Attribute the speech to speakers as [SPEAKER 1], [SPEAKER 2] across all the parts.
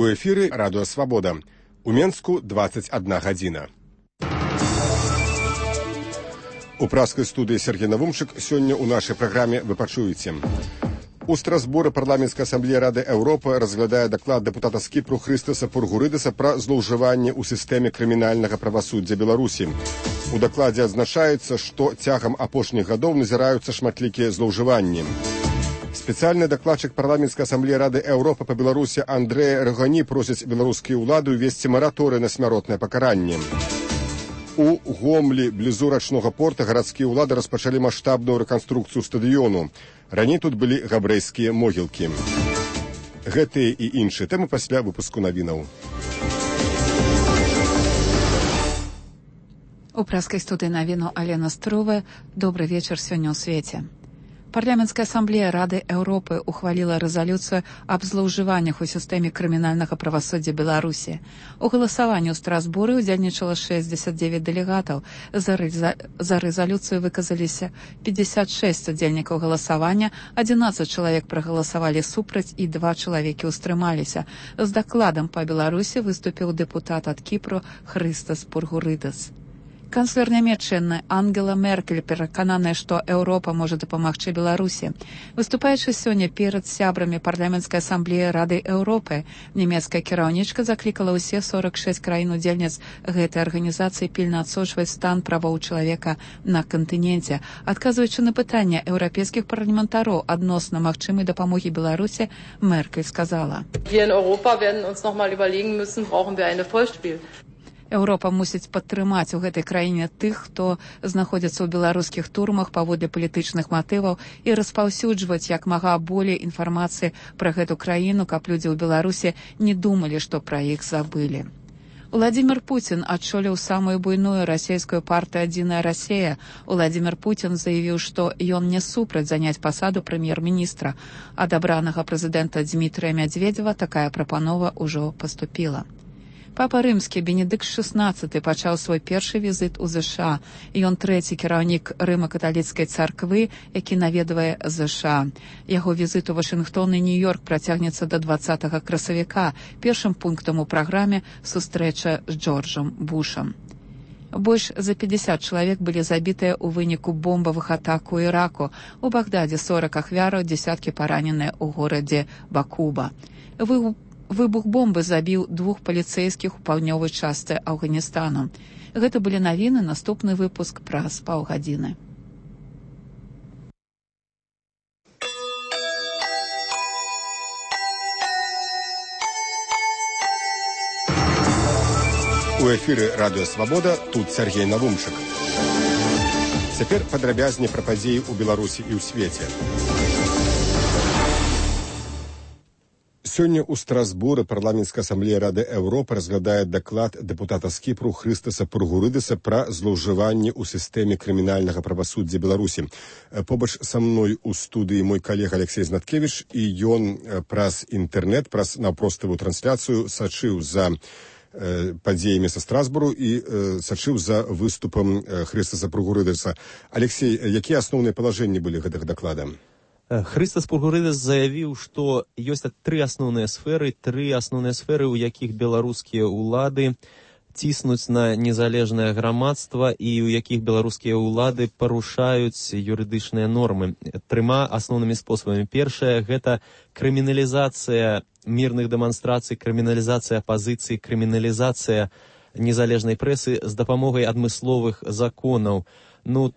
[SPEAKER 1] У эфіры Радыё Свабода. У Менску 21 гадзіна. У праскай студыі Сергей Навумчык сёння ў нашай праграме вы пачуеце. У Страсбуры парламенцкая асамблея Рады Еўропы разглядае даклад дэпутата з Кіпру Хрыстаса Пургурыдаса пра злоўжыванне ў сістэме крымінальнага правасуддзя Беларусі. У дакладзе адзначаецца, што цягам апошніх гадоў назіраюцца шматлікія злоўжыванні. Спецыяльны дакладчык парламенцкай асамблеі Рады Еўропы па Беларусі Андрэй Рагані просіць беларускія ўлады ўвесці мараторый на смяротнае пакаранне. У Гомлі, блізу рачнога порта, гарадскія ўлады распачалі маштабную рэканструкцыю стадыёну. Раней тут былі габрэйскія могілкі. Гэтыя і іншыя тэмы пасля выпуску навінаў.
[SPEAKER 2] У праскай студыі навіну Алена Струве. Добры вечар сёння ў свеце. Парламенцкая асамблея Рады Еўропы ухваліла рэзалюцыю аб злоўжываннях у сістэме крымінальнага правасуддзя Беларусі. У галасаванні ў Страсбуры ўдзельнічала 69 дэлегатаў. За рэзалюцыю выказаліся 56 удзельнікаў галасавання, 11 чалавек прагаласавалі супраць і 2 чалавекі ўстрымаліся. З дакладам па Беларусі выступіў дэпутат ад Кіпру Хрыстас Пургурыдас. Канцлер нямецчыны Ангела Меркель перакананая, што Еўропа можа дапамагчы Беларусі. Выступаючы сёння перад сябрамі парламенцкай асамблеі Рады Еўропы, нямецкая кіраўнічка заклікала ўсе 46 краін-удзельніц гэтай арганізацыі пільна адсочваць стан правоў чалавека на кантыненце. Адказваючы на пытанне еўрапейскіх парламентароў адносна магчымай дапамогі Беларусі, Меркель сказала:
[SPEAKER 3] Wir in Europa werden uns noch mal überlegen müssen, brauchen wir eine Vollspiel.
[SPEAKER 2] Еўропа мусіць падтрымаць у гэтай краіне тых, хто знаходзіцца ў беларускіх турмах паводле палітычных матываў і распаўсюджваць як мага болей інфармацыі пра гэту краіну, каб людзі ў Беларусі не думалі, што пра іх забылі. Владимир Путин адчоліў самую буйную расійскую партыю «Адзіная Расія». Владимир Путин заявіў, што ён не супраць заняць пасаду прэм'ер-міністра. Ад абранага прэзідэнта Дмітрыя Мядзведзева такая прапанова ўжо паступіла. Папа рымскі Бенедыкт XVI пачаў свой першы візіт у ЗША. Ён трэці кіраўнік рыма-каталіцкай царквы, які наведвае ЗША. Яго візіт у Вашынгтон і Нью-Йорк працягнецца да 20 красавіка. Першым пунктам у праграме сустрэча з Джорджам Бушам. Больш за 50 чалавек былі забітыя ў выніку бомбавых атак у Іраку. У Багдадзе 40 ахвяраў, дзесяткі параненыя ў горадзе Бакуба. Выбух бомбы забіў 2 паліцэйскіх у паўднёвай частцы Афганістану. Гэта былі навіны, наступны выпуск праз паўгадзіны.
[SPEAKER 1] У эфіры Радыё Свабода, тут Сергей Навумчык. Цяпер падрабязней пра падзеі ў Беларусі і ў свеце. Сёння ў Страсбуры парламенцкая асамблея Рады Еўропы разглядае даклад дэпутата з Кіпру Хрыстаса Пургурыдаса пра злоўжыванне ў сістэме крымінальнага правасуддзя Беларусі. Побач са мной у студыі мой калега Алексей Знаткевіч, і ён праз інтэрнэт, праз наўпроставую трансляцыю сачыў за падзеямі са Страсбуру і сачыў за выступам Хрыстаса Пургурыдаса. Алексей, якія асноўныя палажэнні былі гэтага даклада?
[SPEAKER 4] Хрыстас Пургурыдас заявіў, што ёсць тры асноўныя сферы, у якіх беларускія ўлады ціснуць на незалежнае грамадства і ў якіх беларускія ўлады парушаюць юрыдычныя нормы. 3 асноўнымі спосабамі. Першае – гэта крыміналізацыя мірных дэманстрацый, крыміналізацыя апазіцыі, крыміналізацыя незалежнай прэсы з дапамогай адмысловых законаў.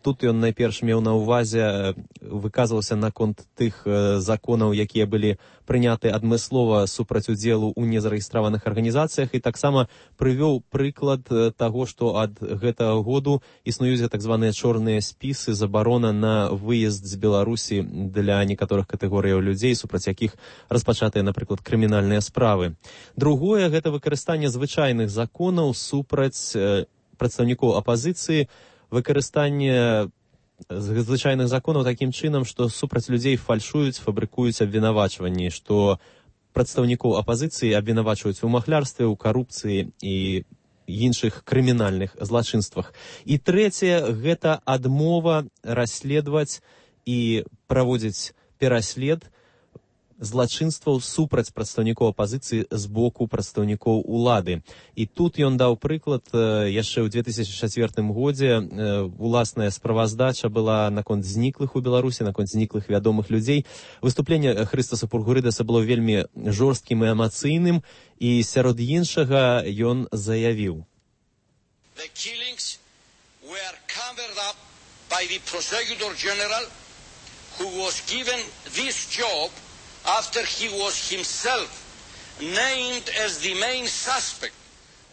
[SPEAKER 4] Тут ён найперш меў на ўвазе, выказваўся наконт тых законаў, якія былі прыняты адмыслова супраць удзелу ў незарэгістраваных арганізацыях, і таксама прывёў прыклад таго, што ад гэтага году існуюць так званыя чорныя спісы, забарона на выезд з Беларусі для некаторых катэгорыяў людзей, супраць якіх распачатыя, напрыклад, крымінальныя справы. Другое – гэта выкарыстанне звычайных законаў супраць прадстаўнікоў апазіцыі, выкарыстанне звычайных законаў такім чынам, што супраць людзей фальшуюць, фабрыкуюць абвінавачванні, што прадстаўнікоў апазіцыі абвінавачваюць у махлярстве, у карупцыі і іншых крымінальных злачынствах. І трэцяе – гэта адмова расследаваць і праводзіць пераслед злачынстваў супраць прадстаўнікоў апазіцыі з боку прадстаўнікоў улады. І тут ён даў прыклад, яшчэ ў 2004 годзе уласная справаздача была наконт зніклых у Беларусі, наконт зніклых вядомых людзей. Выступленне Хрыстаса Пургурыдаса было вельмі жорсткім і эмацыйным, і сярод іншага ён заявіў:
[SPEAKER 5] The killings were covered up by the Prosecutor General, who was given this job after he was himself named as the main suspect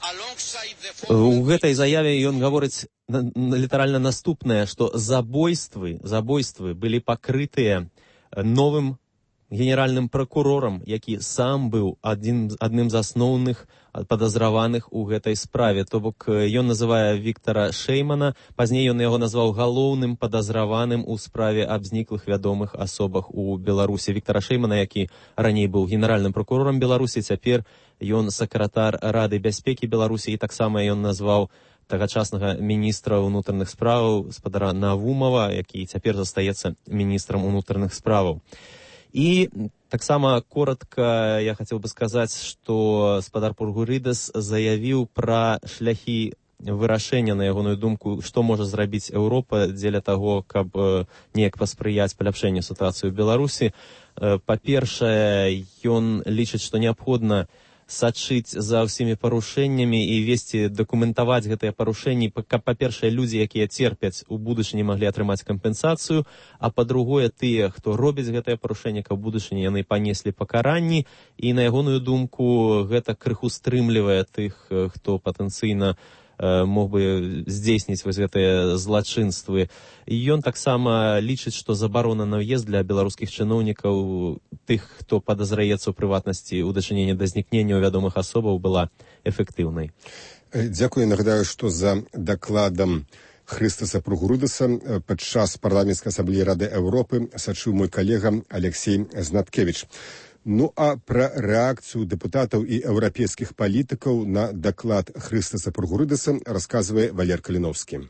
[SPEAKER 5] alongside the...
[SPEAKER 4] У гэтай заяве ён гаворыць літаральна наступнае, што забойствы былі пакрытыя новым генеральным прокурорам, які сам быў адным з асноўных падазраваных у гэтай справе. То бок ён называе Віктара Шэймана, пазней ён яго назваў галоўным падазраваным у справе аб зніклых вядомых асобах у Беларусі. Віктара Шэймана, які раней быў генеральным прокурорам Беларусі, цяпер ён сакратар Рады бяспекі Беларусі, і таксама ён назваў тагачаснага міністра ўнутраных справаў спадара Навумова, які цяпер застаецца міністрам унутраных справаў. І таксама коротка я хацеў бы сказаць, што спадар Пургурыдас заявіў пра шляхі вырашэння, на ягоную думку, што можа зрабіць Еўропа дзеля таго, каб неяк паспрыяць паляпшэнню сітуацыі ў Беларусі. Па-першае, ён лічыць, што неабходна сачыць за ўсімі парушэннямі і весці, дакументаваць гэтыя парушэнні, каб, па-першае, людзі, якія церпяць, у будучыні маглі атрымаць кампенсацыю, а па-другое, тыя, хто робіць гэтыя парушэнні, каб у будучыні яны панеслі пакаранні, і на ягоную думку гэта крыху стрымлівае тых, хто патэнцыйна мог бы здзейсніць вось гэтыя злачынствы. І ён таксама лічыць, што забарона на ўезд для беларускіх чыноўнікаў, тых, хто падазраецца ў прыватнасці ў дачыненні да знікнення вядомых асобаў, была эфектыўнай.
[SPEAKER 1] Дзякую. Нагадаю, што за дакладам Хрыстаса Пургурыдаса падчас парламенцкай асамблеі Рады Еўропы сачыў мой калега Алексей Знаткевич. Ну а пра рэакцыю дэпутатаў і еўрапейскіх палітыкаў на даклад Хрыстаса Пургурыдаса расказвае Валер Каліновскі.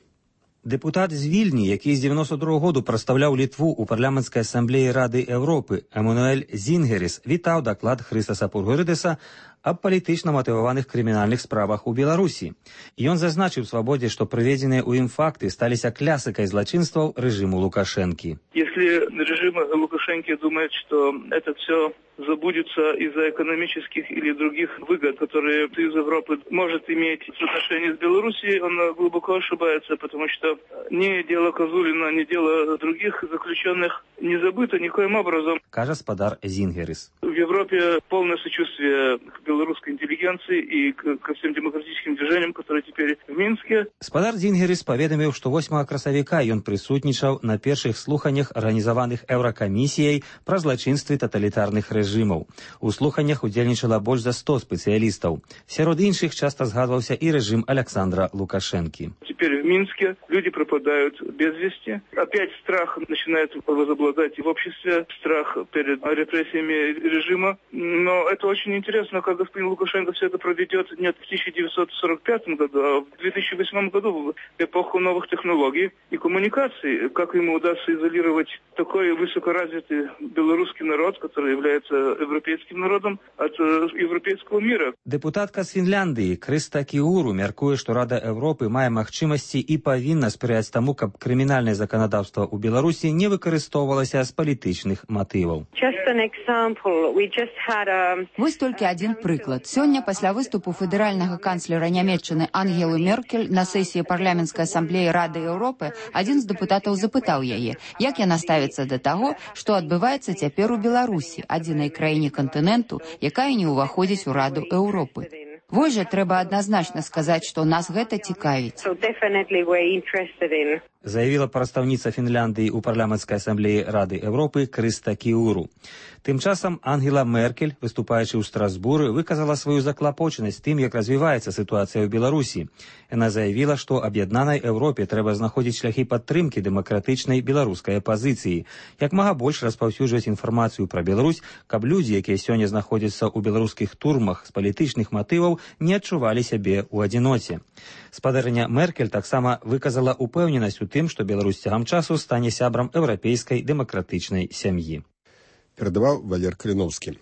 [SPEAKER 6] Дэпутат з Вільні, які з 92-го году прадстаўляў Літву ў парламенцкай асамблеі Рады Еўропы, Емануэль Зінгеріс, вітаў даклад Хрыстаса Пургурыдаса аб палітычна матываваных крымінальных справах у Беларусі. Ён зазначыў свабодзе, што прыведзеныя ў ім факты сталіся клясыкай злачынстваў рэжиму Лукашэнкі.
[SPEAKER 7] Если режим Лукашенко думает, что это все забудется из-за экономических или других выгод, которые Союз Европы может иметь в отношении с Белоруссией, он глубоко ошибается, потому что ни дело Козулина, ни дело других заключенных не забыто никоим образом.
[SPEAKER 6] Кажа спадар Зінгеріс.
[SPEAKER 7] В Европе полное сочувствие к белорусской интеллигенции и ко всем демократическим движениям, которые теперь в Минске.
[SPEAKER 6] Спадар Зінгеріс паведаміў, што 8 красавіка ён прысутнічаў на першых слуханнях, арганізаваных Еўракамісіяй пра злачынствы таталітарных рэжымаў. У слуханнях удзельнічала больш за 100 спецыялістаў. Сярод іншых часта згадваўся і рэжым Александра Лукашэнкі.
[SPEAKER 7] Теперь в Минске люди пропадают без вести. Опять страх начинает возобладать в обществе, страх перед репрессиями режима. Но это очень интересно, как господин Лукашенко все это проведет не в 1945 году, а в 2008 году, в эпоху новых технологий и коммуникаций. Как ему удастся изолировать такой высокоразвитый белорусский народ, который является европейским народом, от европейского мира.
[SPEAKER 6] Дэпутатка з Фінляндыі Крыста Кіуру мяркуе, што Рада Еўропы мае магчымасці і павінна спрыяць таму, каб крымінальнае заканадаўства ў Беларусі не выкарыстоўвалася з палітычных матываў.
[SPEAKER 8] Вось толькі адзін прыклад. Сёння пасля выступу федэральнага канцлера Нямецчыны Ангелы Меркель на сесіі парламенцкай асамблеі Рады Еўропы адзін з дэпутатаў запытаў яе, як яна ставіцца да таго, што адбываецца цяпер у Беларусі, адзінай краіне кантыненту, якая не ўваходзіць у Раду Еўропы. Вось жа трэба адназначна сказаць, што нас гэта цікавіць.
[SPEAKER 6] Заявіла прадстаўніца Фінляндыі ў парламенцкай асамблеі Рады Еўропы Крыста Кіуру. Тым часам Ангела Меркель, выступаючы ў Страсбуры, выказала сваю заклапочанасць тым, як развіваецца сітуацыя ў Беларусі. Яна заявіла, што аб'яднанай Еўропе трэба знаходзіць шляхі падтрымкі дэмакратычнай беларускай апазіцыі, як мага больш распаўсюджваць інфармацыю пра Беларусь, каб людзі, якія сёння знаходзяцца ў беларускіх турмах з палітычных матываў, не адчувалі сябе ў адзіноце. Спадарыня Меркель таксама выказала упэўненасць у тым, што Беларусь цягам часу стане сябрам еўрапейскай дэмакратычнай сям'і.
[SPEAKER 1] перадаваў Валер Каліноўскі.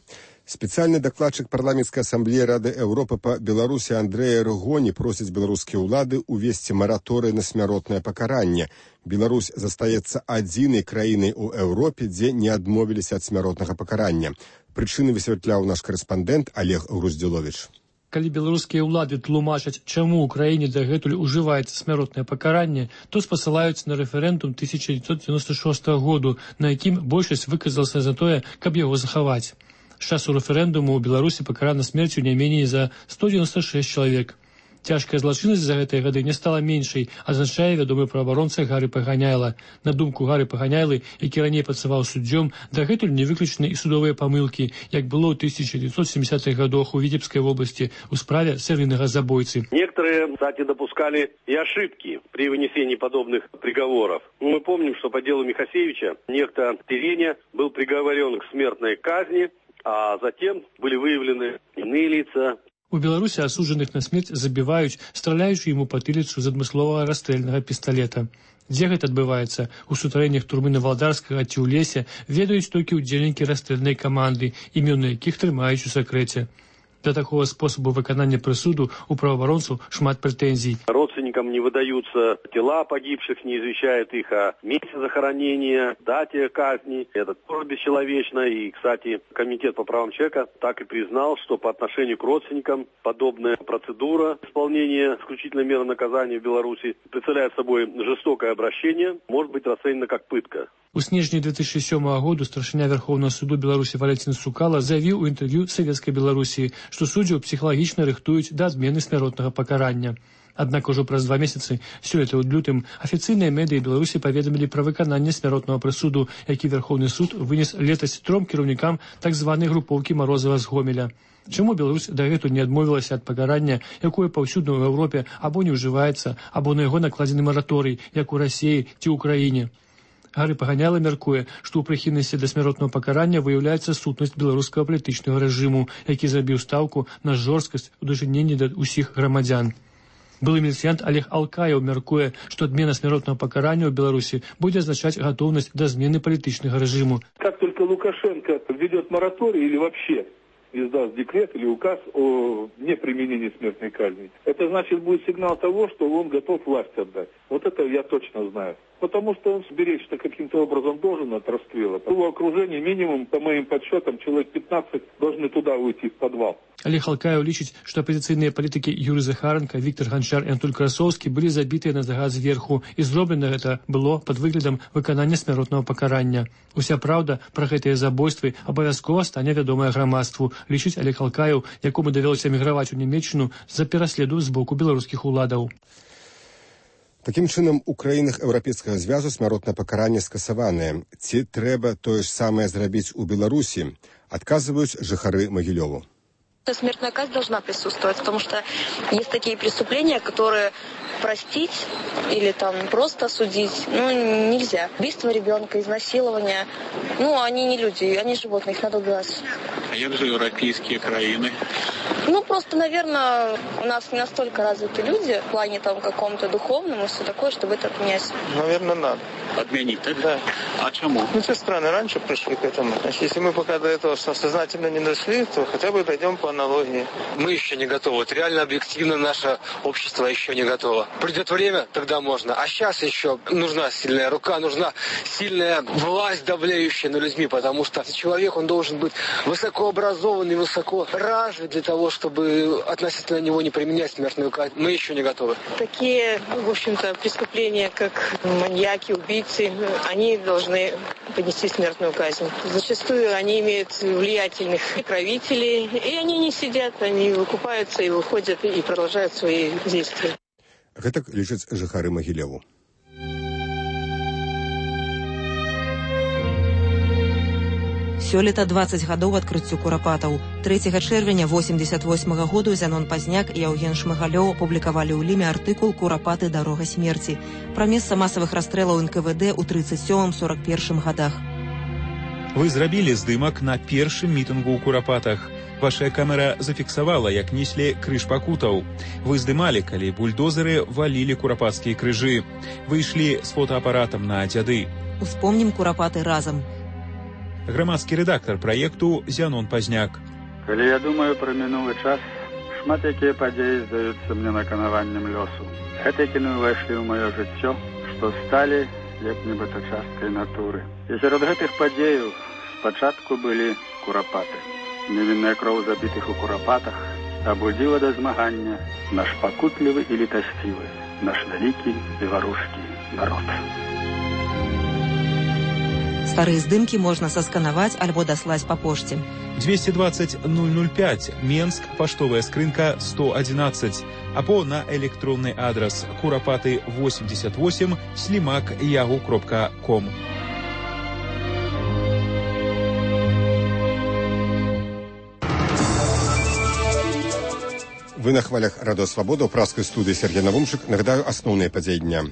[SPEAKER 1] Спецыяльны дакладчык парламенцкай асамблеі Рады Еўропы па Беларусі Андрэя Рыгоні просіць беларускія ўлады увесці мараторый на смяротнае пакаранне. Беларусь застаецца адзінай краінай у Еўропе, дзе не адмовіліся ад смяротнага пакарання. Прычыны высвятляў наш карэспандэнт Олег Груздзіловіч.
[SPEAKER 9] Калі беларускія ўлады тлумачаць, чаму ў краіне дагэтуль ужываецца смяротнае пакаранне, то спасылаюцца на рэферэндум 1996 году, на якім большасць выказалася за тое, каб яго захаваць. З часу рэферэндуму ў Беларусі пакарана смерцю не меней за 196 чалавек. Цяжкая злачыннасць за гэтыя гады не стала меншай, азначае вядомы праваабаронца Гары Паганяйла. На думку Гары Паганяйлы, які раней працаваў суддзём, дагэтуль не выключаны і судовыя памылкі, як было ў 1970-х годах у Витебской области у справе серийного забойцы.
[SPEAKER 10] Некоторые, кстати, допускали и ошибки при вынесении подобных приговоров. Мы помним, что по делу Михасевича некто Тереня был приговорен к смертной казни, а затем были выявлены иные лица.
[SPEAKER 9] У Беларусі асуджаных на смерць забіваюць, страляючы ему патыліцу з адмысловага расстрэльнага пісталета. Дзе гэта адбываецца? У сутарэннях турмы Навалдарскага ці ў лесе ведаюць толькі ўдзельнікі расстрэльнай каманды, імёны якіх трымаюць у сакрэце. Для такого способу выканання прысуду у правоабаронцаў шмат прэтэнзій.
[SPEAKER 10] Родственникам не выдаются тела погибших, не извещают их о месте захоронения, дате казни. Это тоже бесчеловечно. И, кстати, Комитет по правам человека так и признал, что по отношению к родственникам подобная процедура исполнения исключительной меры наказания в Беларуси представляет собой жестокое обращение, может быть расценена как пытка.
[SPEAKER 9] У снежні 2007 году старшыня Верховного суду Беларусі Валентин Сукала заявіў у інтэрв'ю Савецкай Беларусі, што суддзяў псіхалагічна рыхтуюць да адмены смяротнага пакарання. Аднак ужо праз 2 месяцы, сёлета ў лютым, афіцыйныя медыі Беларусі паведамілі пра выкананне смяротнага прысуду, які Верховны суд вынес летась 3 кіраўнікам так званай групоўкі Марозава з Гомеля. Чаму Беларусь дагэтуль не адмовілася ад пакарання, якое паўсюдна ў Еўропе або не ўжываецца, або на яго накладзены мараторый, як у Расіі ці ў краіне? Гары Паганяйла мяркуе, што ў прыхільнасці да смяротнага пакарання выяўляецца сутнасць беларускага палітычнага рэжыму, які зрабіў стаўку на жорсткасць у дачыненні да ўсіх грамадзян. Былы міліцыянт Олег Алкаев мяркуе, што адмена смяротнага пакарання ў Беларусі будзе азначаць гатоўнасць да змены палітычнага рэжыму.
[SPEAKER 11] Как только Лукашенко введет мораторий или вообще издаст декрет или указ о неприменении смертной казни, это значит будет сигнал того, что он готов власть отдать. Вот это я точно знаю. Потому что он сберечься каким-то образом должен от расстрела. В его окружении минимум, по моим подсчетам, человек 15 должны туда уйти в подвал.
[SPEAKER 9] Олег Алкаев лічыць, што апозіцыйныя палітыкі Юрый Захаренко, Віктор Ганчар і Антон Красоўскі былі забітыя на загад зверху, і зроблена гэта было пад выглядам выканання смяротнага пакарання. Уся праўда пра гэтыя забойствы абавязкова стане вядомая грамадству, лічыць Олег Алкаев, якому давялося эміграваць у Нямецчыну з-за пераследу з боку беларускіх уладаў.
[SPEAKER 1] Такім чынам, у краінах Еўрапейскага звязу смяротнае пакаранне скасаванае. Ці трэба тое ж самае зрабіць у Беларусі? Адказваюць жыхары Магілёву.
[SPEAKER 12] Смертная казнь должна присутствовать, потому что есть такие преступления, которые простить или там просто осудить, нельзя. Убийство ребенка, изнасилование, они не люди, они животные, их надо убивать.
[SPEAKER 13] А як же европейские краины?
[SPEAKER 12] Просто, наверное, у нас не настолько развиты люди в плане там каком-то духовном и все такое, чтобы это отменять.
[SPEAKER 13] Наверное, надо. Отменить, так?
[SPEAKER 12] Да.
[SPEAKER 13] А чему?
[SPEAKER 14] Те страны раньше пришли к этому. Значит, если мы пока до этого сознательно не дошли, то хотя бы дойдем по аналогии.
[SPEAKER 15] Мы еще не готовы. Вот реально, объективно наше общество еще не готово. Придет время, тогда можно. А сейчас еще нужна сильная рука, нужна сильная власть, давлеющая над людьми, потому что человек, он должен быть высокообразованный, высоко развит для того, чтобы относительно него не применять смертную казнь. Мы еще не готовы.
[SPEAKER 12] Такие, в общем-то, преступления, как маньяки, убийцы, они должны понести смертную казнь. Зачастую они имеют влиятельных правителей, и они не сидят, они выкупаются и выходят и продолжают свои действия.
[SPEAKER 1] Гэтак лічаць жыхары Магілёву.
[SPEAKER 16] Сёлета 20 гадоў адкрыццю курапатаў. 3 чэрвеня 88 году Зянон Пазняк і Яўген Шмыгалёў апублікавалі ў Ліме артыкул «Курапаты. Дарога смерці» пра месца масавых расстрэлаў НКВД ў 37-41 гадах.
[SPEAKER 17] Вы зрабілі здымак на першым мітынгу ў Курапатах. Ваша камера зафіксавала, як неслі крыж пакутаў. Вы здымалі, калі бульдозеры валілі курапацкія крыжы. Вы ішлі з фотоапаратам на дзяды.
[SPEAKER 16] Успомнім Курапаты разам.
[SPEAKER 17] Грамадскі рэдактар праекту Зянон Пазняк.
[SPEAKER 18] Калі я думаю пра мінулы час, шмат якія падзеі здаюцца мне наканаваннем лёсу. Гэтыя кіны ўвайшлі ў маё жыццё, што сталі як нібыта часткай натуры. І сярод гэтых падзеяў спачатку былі курапаты. Невінная кроў забітых у курапатах абудзіла да змагання наш пакутлівы і літасцівы, наш вялікі беларускі народ.
[SPEAKER 16] Старыя здымкі можна сасканаваць альбо даслаць па пошце.
[SPEAKER 17] 220 005, Менск, паштовая скрынка 111, або на электронны адрас kurapаты88@yahoo.com.
[SPEAKER 1] Вы на хвалях Радио Свобода, у пражской студии Сергей Навумшик. Нагадаю, основные подеи дня.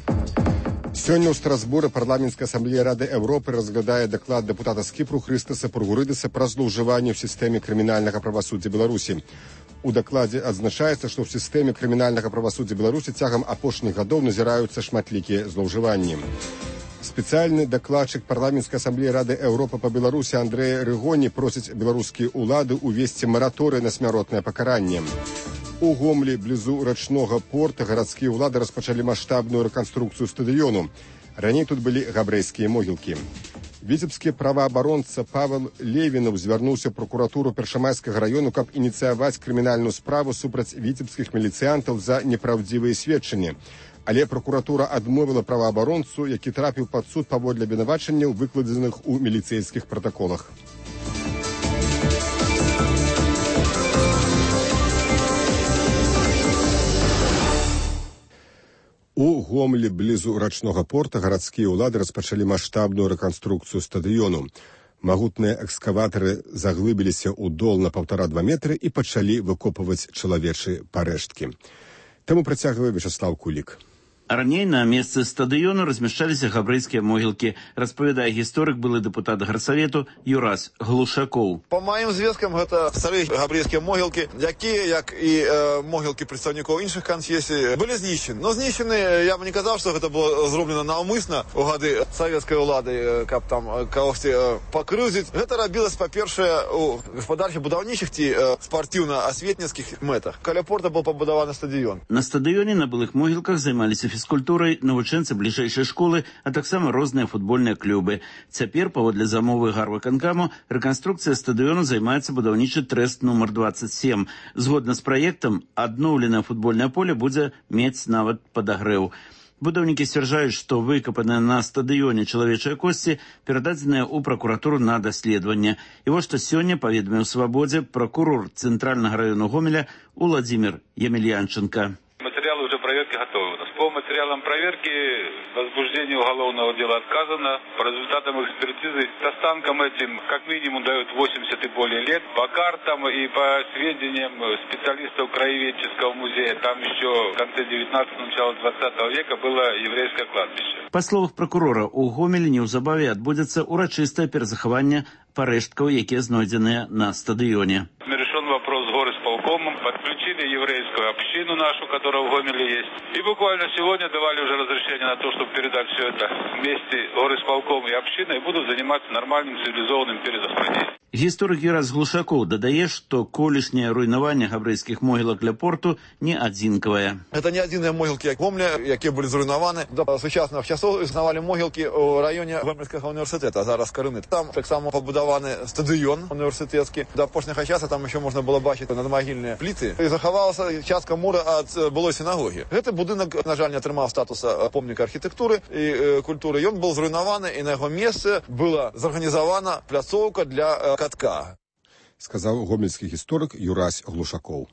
[SPEAKER 1] Сёння ў Страсбуры парламенцкая асамблея Рады Европы разглядае даклад дэпутата з Кіпру Хрыстаса Пургурыдаса пра злоўжыванне ў сістэме крымінальнага правасуддзя Беларусі. У дакладзе адзначаецца, што ў сістэме крымінальнага правасуддзя Беларусі цягам апошніх гадоў назіраюцца шматлікія злоўжыванні. Спецыяльны дакладчык парламенцкай асамблеі Рады Европы па Беларусі Андрэй Рыгоні просіць беларускія ўлады ўвесці мараторый на смяротнае пакаранне. У Гомлі, блізу рачнога порта, гарадскія ўлады распачалі маштабную рэканструкцыю стадыёну. Раней тут былі габрэйскія могілкі. Віцебскі праваабаронца Павел Левінаў звярнуўся ў прокуратуру Першамайскага раёну, каб ініцыяваць крымінальную справу супраць віцебскіх міліцыянтаў за непраўдзівыя сведчанні. Але прокуратура адмовіла праваабаронцу, які трапіў пад суд паводле абвінавачанняў, выкладзеных у міліцэйскіх пратаколах. У Гомлі, блізу рачнога порта, гарадскія ўлады распачалі маштабную рэканструкцыю стадыёну. Магутныя экскаватары заглыбіліся ў дол на 1,5–2 метры і пачалі выкопваць чалавечыя парэшткі. Таму працягвае Вячеслав Кулік.
[SPEAKER 19] Раней на месцы стадыёну размяшчаліся габрэйскія могілкі, распавядае гісторык, былы дэпутат гарсавету Юрась Глушакоў.
[SPEAKER 20] Па маім звесткам, гэта старыя габрэйскія могілкі, якія, як і могілкі прадстаўнікоў іншых канфесій, былі знішчаны. Но знішчаны, я б не казаў, што гэта было зроблена наўмысна ў гады савецкай улады, каб там кагосьці пакрыўдзіць. Гэта рабілася, па-першае, у гаспадарчых будаўнічых ці спартыўна-асветніцкіх мэтах. Каля порта быў пабудаваны стадыён.
[SPEAKER 19] На стадыёне на былых могілках займаліся фізкультурай, навучэнцы бліжэйшай школы, а таксама розныя футбольныя клубы. Цяпер, паводле замовы гарвыканкаму, рэканструкцыя стадыёну займаецца будаўнічы трэст нумар 27. Згодна з праектам, адноўленае футбольнае поле будзе мець нават падагрэў. Будаўнікі сцвярджаюць, што выкапаныя на стадыёне чалавечыя косці перададзеныя ў пракуратуру на даследаванне. І вось што сёння паведаміў Свабодзе пракурор Цэнтральнага раёну Гомеля Уладзімір Емельянченко.
[SPEAKER 21] Материалы уже проверки готовы. По материалам проверки возбуждение уголовного дела отказано. По результатам экспертизы останкам этим как минимум дают 80 и более лет. По картам и по сведениям специалистов краеведческого музея, там еще в конце 19-го, начало 20 века было еврейское кладбище.
[SPEAKER 19] Па словах прокурора, у Гомелі неўзабаве адбудзецца урачыстае перазахаванне парэшткаў, якія знойдзеныя на стадыёне.
[SPEAKER 21] Решен вопрос с горисполкомом, подключили еврейскую общину нашу, которая в Гомеле есть. И буквально сегодня давали уже разрешение на то, чтобы передать все это вместе горисполком и общиной и будут заниматься нормальным цивилизованным перезахоронением.
[SPEAKER 19] Гісторык Юрась Глушакоў дадае, што колішняе руйнаванне габрэйскіх могілак ля порту не адзінкавае.
[SPEAKER 20] Это не адзіныя могілкі Гомля, якія былі зруйнаваны. До сучасных часоў існавалі могілкі ў раёне Гомельскага універсітэта, зараз Карыны. Там таксама пабудаваны стадыён універсітэцкі. До апошняга часу там еще можна было бачыць надмагільныя пліты. І захавалася частка мура ад былой сінагогі. Гэты будынак, на жаль, не атрымаў статуса помніка архітэктуры і культуры. Ён быў зруйнаваны, і на яго месцы была зарганізавана пляцоўка для катка.
[SPEAKER 1] Сказаў гомельскі гісторык Юрась Глушакоў.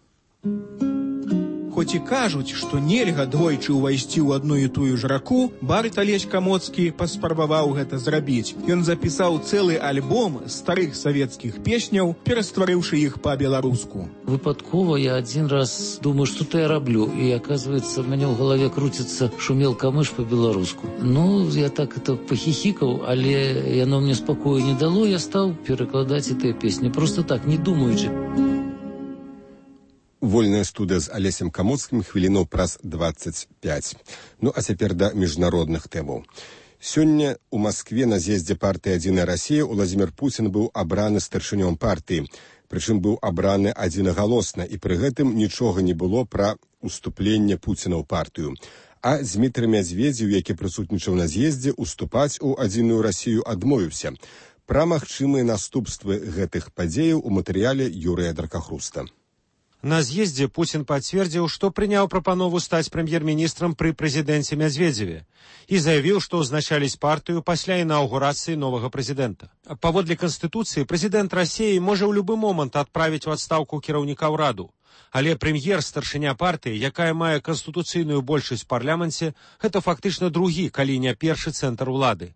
[SPEAKER 22] Хоць і кажуць, што нельга двойчы ўвайсці ў адну і тую ж раку, Барыт Алесь Камоцкі паспрабаваў гэта зрабіць. Ён запісаў цэлы альбом старых савецкіх песняў, перастварыўшы іх па-беларуску.
[SPEAKER 23] Выпадкова я один раз думаю, что-то я раблю, и оказывается, у меня в голове крутится «Шумел камыш» по-беларуску. Ну, я так это похихикал, але яно мне спокою не дало, я стал перекладать этой песни. Просто так, не думаючи.
[SPEAKER 1] Вольная студыя з Алесем Камоцкім хвілінаў праз 25. Ну, а цяпер да міжнародных тэмаў. Сёння у Маскве на з'ездзе партыі «Адзіная Расія» Уладзімір Пуцін быў абраны старшынём партыі. Прычым быў абраны адзінагалосна, і пры гэтым нічога не было пра уступленне Пуціна ў партыю. А Дзмітрый Мядзведзеў, які прысутнічаў на з'ездзе, уступаць у «Адзіную Расію» адмовіўся. Пра магчымыя наступствы гэтых падзеяў у матэрыяле Юрыя Дракахруста.
[SPEAKER 2] На з'ездзе Пуцін пацвердзіў, што прыняў прапанову стаць прэм'ер-міністрам пры прэзідэнце Мядзведзеве і заявіў, што ўзначаліць партыю пасля інаўгурацыі новага прэзідэнта. Паводле Канстытуцыі, прэзідэнт Расіі можа ў любы момант адправіць у адстаўку кіраўніка ўраду. Але прэм'ер, старшыня партыі, якая мае канстытуцыйную большасць у парламенце, гэта фактычна другі, калі не першы цэнтр улады.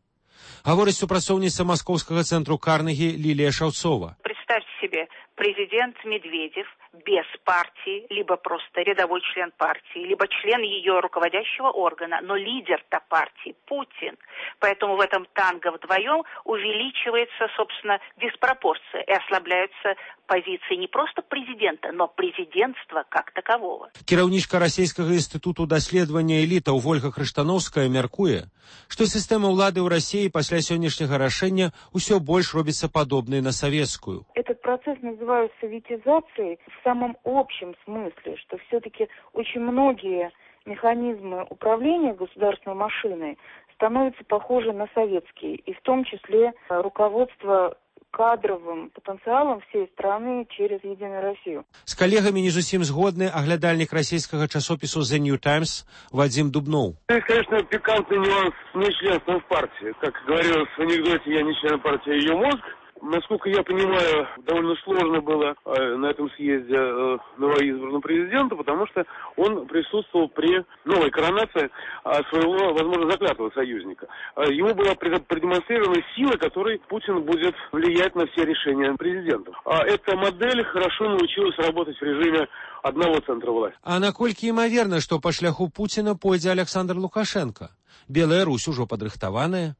[SPEAKER 2] Гаворыць супрацоўніца маскоўскага цэнтру Карнегі Лілія Шаўцова.
[SPEAKER 3] Представьте себе, президент Медведев без партии, либо просто рядовой член партии, либо член ее руководящего органа, но лидер-то партии Путин. Поэтому в этом танго вдвоем увеличивается, собственно, диспропорция и ослабляются позиции не просто президента, но президентства как такового.
[SPEAKER 2] Кіраўнічка расійскага інстытуту даследавання элітаў Вольга Крыштановская мяркуе, што сістэма ўлады ў Расіі пасля сённяшняга рашэння ўсё больш робіцца падобнай на савецкую.
[SPEAKER 5] Этот процесс называют советизацией в самом общем смысле, что все-таки очень многие механизмы управления государственной машиной становятся похожи на советские, и в том числе руководство кадровым потенциалом всей страны через «Единую Россию».
[SPEAKER 2] С коллегами не зусім згодны оглядальник российского часопису The New Times Вадим Дубнов.
[SPEAKER 24] Это, конечно, пикантный нюанс нечленства в партии. Как говорилось в анекдоте, я не член партии, ее мозг. Насколько я понимаю, довольно сложно было на этом съезде новоизбранному президенту, потому что он присутствовал при новой коронации своего, возможно, заклятого союзника. Ему была продемонстрирована сила, которой Путин будет влиять на все решения президента. А эта модель хорошо научилась работать в режиме одного центра власти.
[SPEAKER 2] А наколькі імаверна, што па шляху Пуціна пойдзе Александр Лукашенко? Белая Русь ужо падрыхтаваная.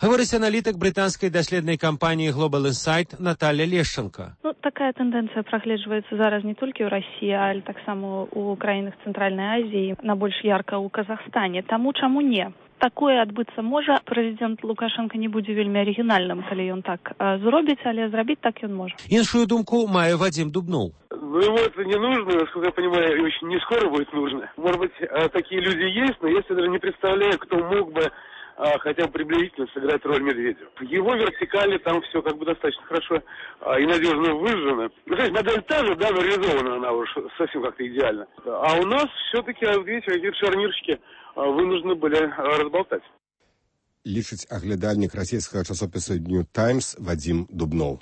[SPEAKER 2] Гаворыць аналітык брытанскай даследнай кампаніі Global Insight Наталья Лешченко.
[SPEAKER 25] Такая тэндэнцыя прагледжваецца зараз не толькі ў Расіі, але таксама ў краінах Цэнтральнай Азіі, найбольш ярка ў Казахстане. Таму чаму не? Такое адбыцца можа. Прэзідэнт Лукашенко не будзе вельмі арыгінальным, калі ён так зробіць, але зрабіць так ён можа.
[SPEAKER 2] Іншую думку мае Вадим Дубнов.
[SPEAKER 24] Но ему это не нужно, насколько я понимаю, очень не скоро будет нужно. Может быть, такие люди есть, но я себе даже не представляю, кто мог бы хотя бы приблизительно сыграть роль Медведева. В его вертикали там все как бы достаточно хорошо и надежно выжжено. Ну, то есть модель та же, да, но реализована она уж совсем как-то идеально. А у нас все-таки, видите, какие-то шарнирщики вынуждены были разболтать.
[SPEAKER 1] Лічыць аглядальнік расійскага часопіса New Times Вадим Дубнов.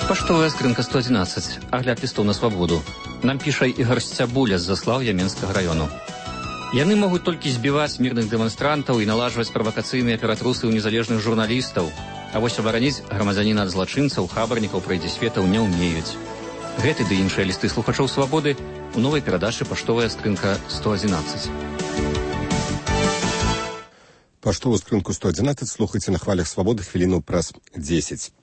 [SPEAKER 26] Паштовая скрынка 111. Агляд лістоў на свабоду. Нам піша Ігор Сцябуля з Заслаўя Менскага раёну. Яны могуць толькі збіваць мірных дэманстрантаў і налажваць правакацыйныя ператрусы ў незалежных журналістаў. А вось абараніць грамадзяніна ад злачынцаў, хабарнікаў, прайдзісветаў не ўмеюць. Гэты ды іншыя лісты слухачоў свабоды у новай перадачы «Паштовая скрынка 111».
[SPEAKER 1] Паштовую скрынку 111 слухайце на хвалях свабоды хвіліну праз 10.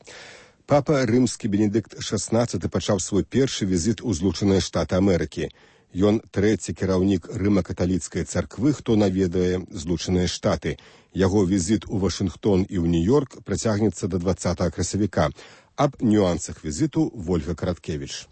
[SPEAKER 1] Папа рымскі Бенедыкт XVI пачаў свой першы візіт у Злучаныя Штаты Амерыкі. Ён трэці кіраўнік рыма-каталіцкай царквы, хто наведае Злучаныя Штаты. Яго візіт у Вашынгтон і ў Нью-Йорк працягнецца да 20 красавіка. Аб нюансах візіту Вольга Караткевіч.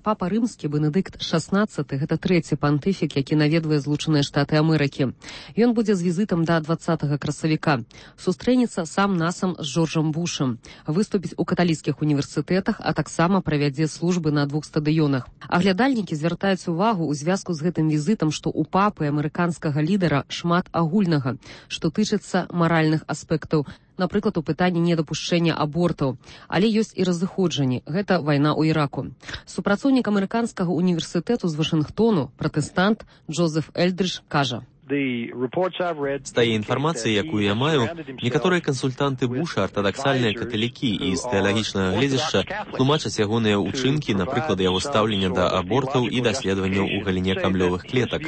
[SPEAKER 27] Папа рымскі Бенедыкт XVI – гэта трэці пантыфік, які наведвае Злучаныя Штаты Амерыкі. Ён будзе з візітам да 20 красавіка. Сустрэнецца сам-насам з Джорджам Бушам. Выступіць у каталіцкіх універсітэтах, а таксама правядзе службы на 2 стадыёнах. Аглядальнікі звяртаюць увагу ў звязку з гэтым візітам, што ў папы амерыканскага лідара шмат агульнага, што тычыцца маральных аспектаў, напрыклад, у пытанні недапушчэння абортаў. Але ёсць і разыходжанні. Гэта вайна ў Іраку. Супрацоўнік амерыканскага універсітэту з Вашынгтону, пратэстант Джозеф Эльдридж, кажа:
[SPEAKER 4] З тае інфармацыі, якую я маю, некаторыя кансультанты Буша, артадаксальныя каталікі і з тэалагічнага гледзяшча тлумачаць ягоныя ўчынкі, напрыклад, яго стаўлення да абортаў і даследаванняў у галіне камлёвых клетак.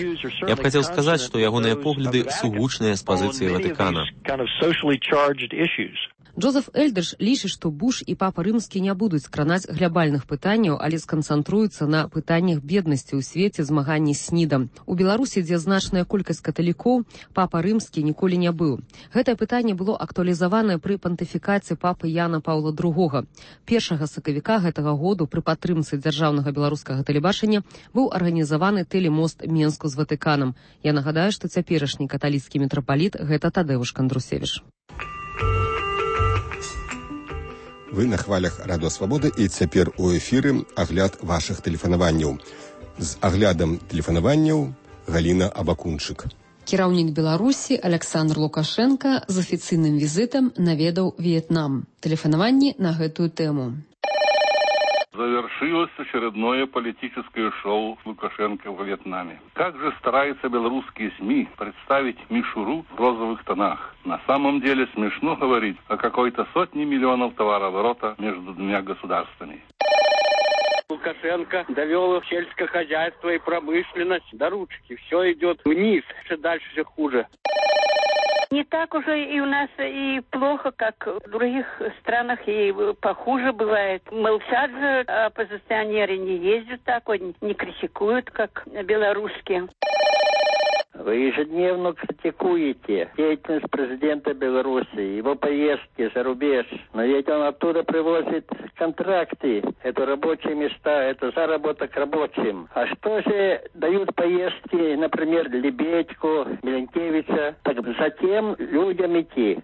[SPEAKER 4] Я б хацеў сказаць, што ягоныя погляды сугучныя з пазіцыі Ватыкана.
[SPEAKER 27] Джозеф Эльдерш лічыць, што Буш і папа рымскі не будуць кранаць глябальных пытанняў, але сканцэнтруюцца на пытаннях беднасці ў свеце, змаганні з СНІДам. У Беларусі, дзе значная колькасць каталікоў, папа рымскі ніколі не быў. Гэтае пытанне было актуалізаванае пры пантыфікаце папы Яна Паўла II. 1 сакавіка гэтага году пры падтрымцы дзяржаўнага беларускага тэлебачання быў арганізаваны тэлемост Менску з Ватыканам. Я нагадаю, што цяперашні каталіцкі мітрапаліт гэта Тадэвуш Кандрусевіч.
[SPEAKER 1] Вы на хвалях Радыё Свабода і цяпер у эфіры агляд вашых тэлефанаванняў. З аглядам тэлефанаванняў Галіна Абакунчык.
[SPEAKER 27] Кіраўнік Беларусі Александр Лукашенко з афіцыйным візітам наведаў В'етнам. Тэлефанаванні на гэтую тэму.
[SPEAKER 6] Завершилось очередное политическое шоу Лукашенко в Вьетнаме. Как же стараются белорусские СМИ представить мишуру в розовых тонах. На самом деле смешно говорить о какой-то сотне миллионов товарооборота между двумя государствами.
[SPEAKER 7] Лукашенко довел сельское хозяйство и промышленность до ручки. Все идет вниз, все дальше все хуже.
[SPEAKER 8] Не так уже и у нас и плохо, как в других странах, и похуже бывает. Молчат же, оппозиционеры не ездят так, не критикуют, как белорусские.
[SPEAKER 9] Вы ежедневно критикуете деятельность президента Беларуси, его поездки за рубеж. Но ведь он оттуда привозит контракты, это рабочие места, это заработок рабочим. А что же дают поездки, например, Лебедьку, Миленкевича, так затем людям идти?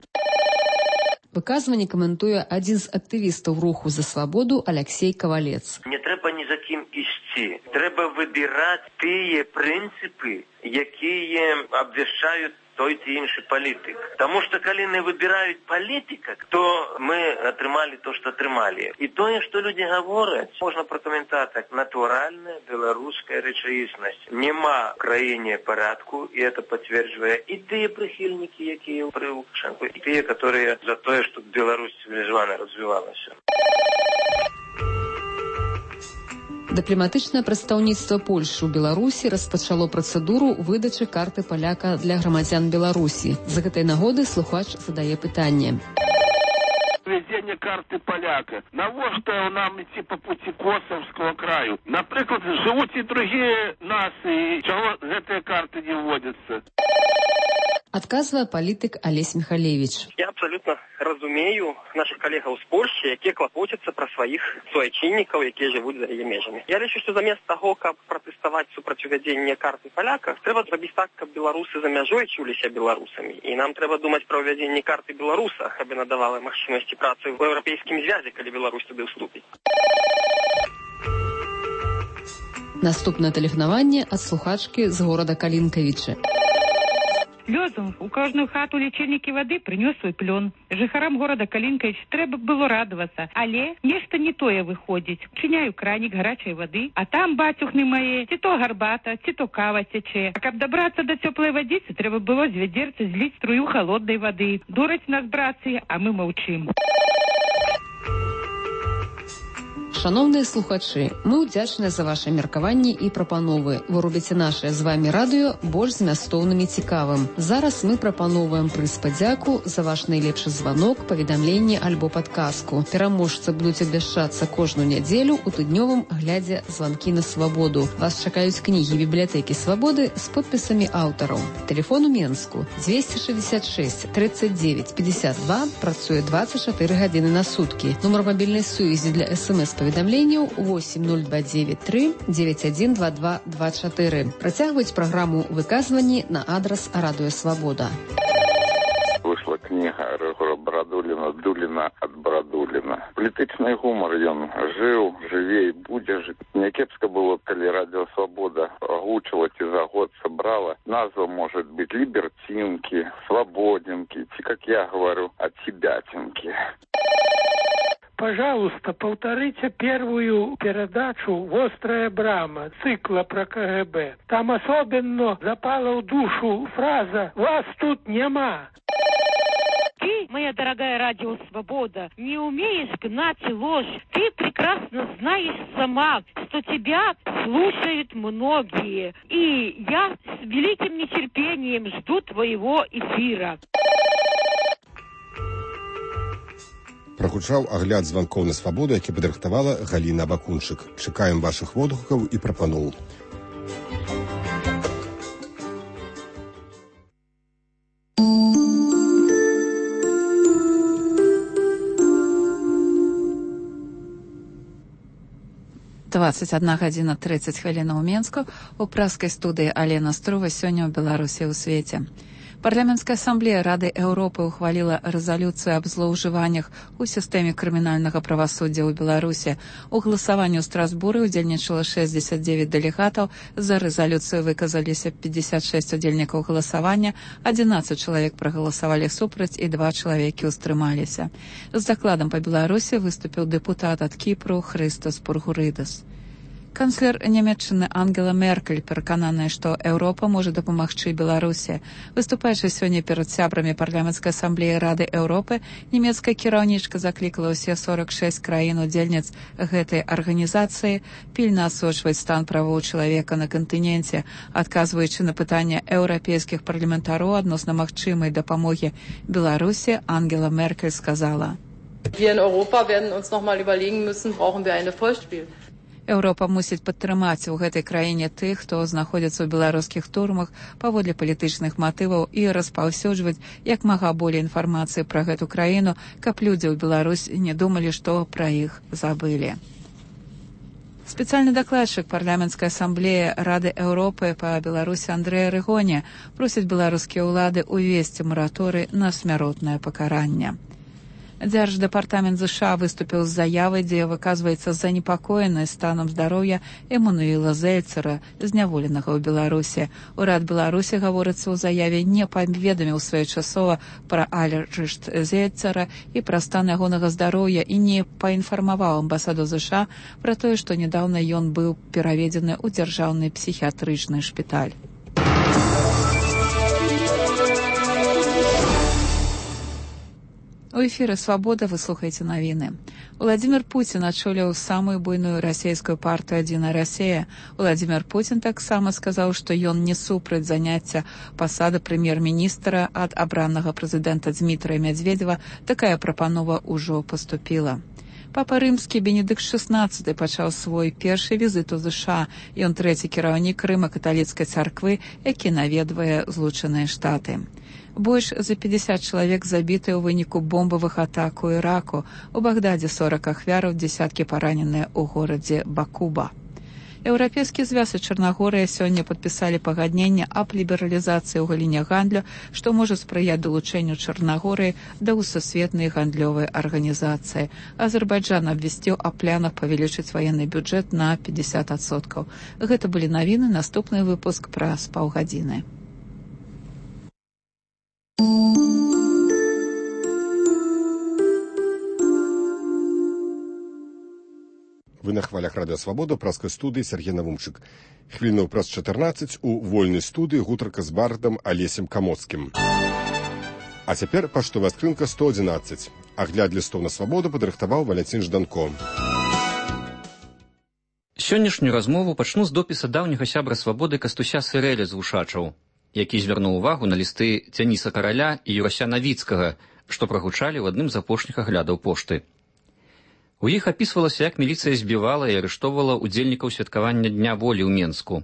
[SPEAKER 27] Выказванне каментуе адзін з актывістаў руху за свабоду Алексей Кавалец.
[SPEAKER 10] Не трэба ні за кім ісці. Трэба выбіраць тыя прынцыпы, якія абвяшчаюць той ці іншы палітык. Таму што калі не выбіраюць палітыка, то мы атрымалі то, што атрымалі. І тое, што людзі гавораць, можна пракаментаваць як натуральная беларуская рэчаіснасць. Нема в краіне парадку, і это пацверджвае і тыя прыхільнікі, якія пры Лукашенку, і тыя, которые за тое, што Беларусь цывілізавана развівалася.
[SPEAKER 27] Дыпламатычнае прадстаўніцтва Польшы ў Беларусі распачало працэдуру выдачы карты паляка для грамадзян Беларусі. З гэтай нагоды слухач задае пытанне.
[SPEAKER 7] Введение карты поляка. Навошта нам идти по пути Косовского краю? Например, живут и другие нации. Чего этой карты не вводятся?
[SPEAKER 27] Адказвае палітык Алесь Михалевич.
[SPEAKER 11] Я абсолютно разумею наших коллегаў з Польши, якія клапоцяцца пра сваіх суайчыннікаў, якія жывуць за яе межамі. Я лічу, што замест таго, каб пратэставаць супраць увядзення карты паляка, трэба зрабіць так, каб беларусы за мяжой чуліся беларусамі. І нам трэба думаць пра ўвядзенне карты беларуса, каб яна давала магчымасці працы ў еўрапейскім звязе, калі Беларусь туды ўступіць.
[SPEAKER 27] Наступнае тэлефанаванне ад слухачкі з горада Калінкавічы.
[SPEAKER 13] Лёзов у кожную хату лічильнікі вады прынёс свой плён. Жыхарам горада Калінкавіч трэба было радавацца, але нешта не тое выходзіць. Чыняю кранік гарачай вады, а там, бацюхны мае, ці то гарбата, ці то кава цячэ. А каб дабрацца да цёплай вадзіцы, трэба было з вядзерца зліць струю халоднай вады. Дураць нас, брацы, а мы маўчым.
[SPEAKER 27] Шановныя слухачы, мы ўдзячныя за ваши меркаванні і прапановы. Вы робіце нашае з вами радыё больш змястоўным і цікавым. Зараз мы прапановваем прыз падзяку за ваш найлепшы званок, паведамленне альбо падказку. Пераможцы будуць абвяшчацца кожную нядзелю у тыднёвым глядзе званкі на свабоду. Вас чакаюць кнігі бібліятэкі свабоды з подпісамі аўтараў. Телефон у Менску 266 39 52, працуе 24 гадзіны на суткі. Нумар мабільнай сувязі для СМС-паведамленняў 8029 9122 24. Працягваюць праграму выказванні на адрас Радыё Свабода.
[SPEAKER 28] Вышла книга Рыгора Брадуліна «Дуліна ад Брадуліна». Палітычны гумар ён жыў, жыве і будзе жыць. Някепска было, калі Радыё Свабода агучыла ці за год сабрала. Назва может быть «Либертинки», «Свободинки», ці, как я говорю, «Отсебятинки».
[SPEAKER 29] Пожалуйста, повторите первую передачу «Вострая брама» цикла про КГБ. Там особенно запала в душу фраза «Вас тут нема».
[SPEAKER 13] Ты, моя дорогая Радио Свобода, не умеешь гнать ложь. Ты прекрасно знаешь сама, что тебя слушают многие. И я с великим нетерпением жду твоего эфира.
[SPEAKER 1] Прагучаў агляд званкоў на свабоду, які падрыхтавала Галіна Бакунчык. Чакаем вашых водгукаў і прапаноў.
[SPEAKER 12] «21 гадзіна 30 хвілінаў у Менску». У праскай студыі Алена Струва. Сёння ў Беларусі ў свеце. Парламенцкая асамблея Рады Еўропы ухваліла рэзалюцыю аб злоўжываннях у сістэме крымінальнага правасуддзя ў Беларусі. У галасаванні ў Страсбуры ўдзельнічала 69 дэлегатаў. За рэзалюцыю выказаліся 56 удзельнікаў галасавання, 11 чалавек прагаласавалі супраць і 2 чалавекі ўстрымаліся. З дакладам па Беларусі выступіў дэпутат ад Кіпру Хрыстос Пургурыдас. Канцлер Нямецчыны Ангела Меркель перакананая, што Еўропа можа дапамагчы Беларусі. Выступаючы сёння перад сябрамі парламенцкай асамблеі Рады Еўропы, нямецкая кіраўнічка заклікала ўсе 46 краін-удзельніц гэтай арганізацыі пільна асочваць стан правоў чалавека на кантыненце, адказваючы на пытанне еўрапейскіх парламентароў адносна магчымай дапамогі Беларусі, Ангела Меркель сказала:
[SPEAKER 14] Wir in Europa werden uns noch mal überlegen müssen, brauchen wir eine Vollspiel.
[SPEAKER 12] Еўропа мусіць падтрымаць у гэтай краіне тых, хто знаходзіцца ў беларускіх турмах паводле палітычных матываў і распаўсюджваць як мага болей інфармацыі пра гэту краіну, каб людзі ў Беларусі не думалі, што пра іх забылі. Спецыяльны дакладчык парламенцкай асамблеі Рады Еўропы па Беларусі Андрэй Рыгоне просіць беларускія ўлады ўвесці мараторый на смяротнае пакаранне. Дзярждэпартамент США выступіў з заявай, дзе выказваецца занепакоенасць станам здароўя Эммануіла Зельцера, зняволенага ў Беларусі. Урад Беларусі, гаворыцца ў заяве, не паведаміў своечасова пра арышт Зельцера і пра стан ягонага здароўя і не паінфармаваў амбасаду США пра тое, што нядаўна ён быў пераведзены ў дзяржаўны псіхіятрычны шпіталь. У эфіры «Свабода» вы слухаеце навіны. Владзімір Пуцін ачоліў самую буйную расійскую партыю «Адзіная Расія». Владзімір Пуцін таксама сказаў, што ён не супраць заняцця пасады прэм'ер-міністра ад абранага прэзідэнта Дмітрыя Мядзведзева. Такая прапанова ўжо паступіла. Папа рымскі Бенедыкт XVI пачаў свой першы візіт у ЗША. Ён трэці кіраўнік рыма-каталіцкай царквы, які наведвае Злучаныя Штаты. Больш за 50 чалавек забіты ў выніку бомбавых атак у Іраку. У Багдадзе 40 ахвяраў, дзесяткі параненыя ў горадзе Бакуба. Еўрапейскі звяз і Чарнагорыя сёння падпісалі пагадненне аб лібералізацыі ў галіне гандлю, што можа спрыяць далучэнню Чарнагорыі да сусветнай гандлёвай арганізацыі. Азербайджан абвясціў аб планах павялічыць ваенны бюджэт на 50%. Гэта былі навіны, наступны выпуск праз паўгадзіны.
[SPEAKER 1] Вы на хвалях Радыё Свабода, праскай студыі Сергей Навумчык. Хвілінаў праз 14 у вольнай студыі гутарка з бардам Алесем Камоцкім. А цяпер паштовая скрынка 111. Агляд лістоў на свабоду падрыхтаваў Валянцін Жданко.
[SPEAKER 26] Сённяшнюю размову пачну з допіса даўняга сябра свабоды Кастуся Сырэля з Вушачаў, які звярнуў увагу на лісты Дзяніса Караля і Юрася Навіцкага, што прагучалі ў адным з апошніх аглядаў пошты. У іх апісвалася, як міліцыя збівала і арыштоўвала удзельнікаў святкавання Дня волі ў Менску.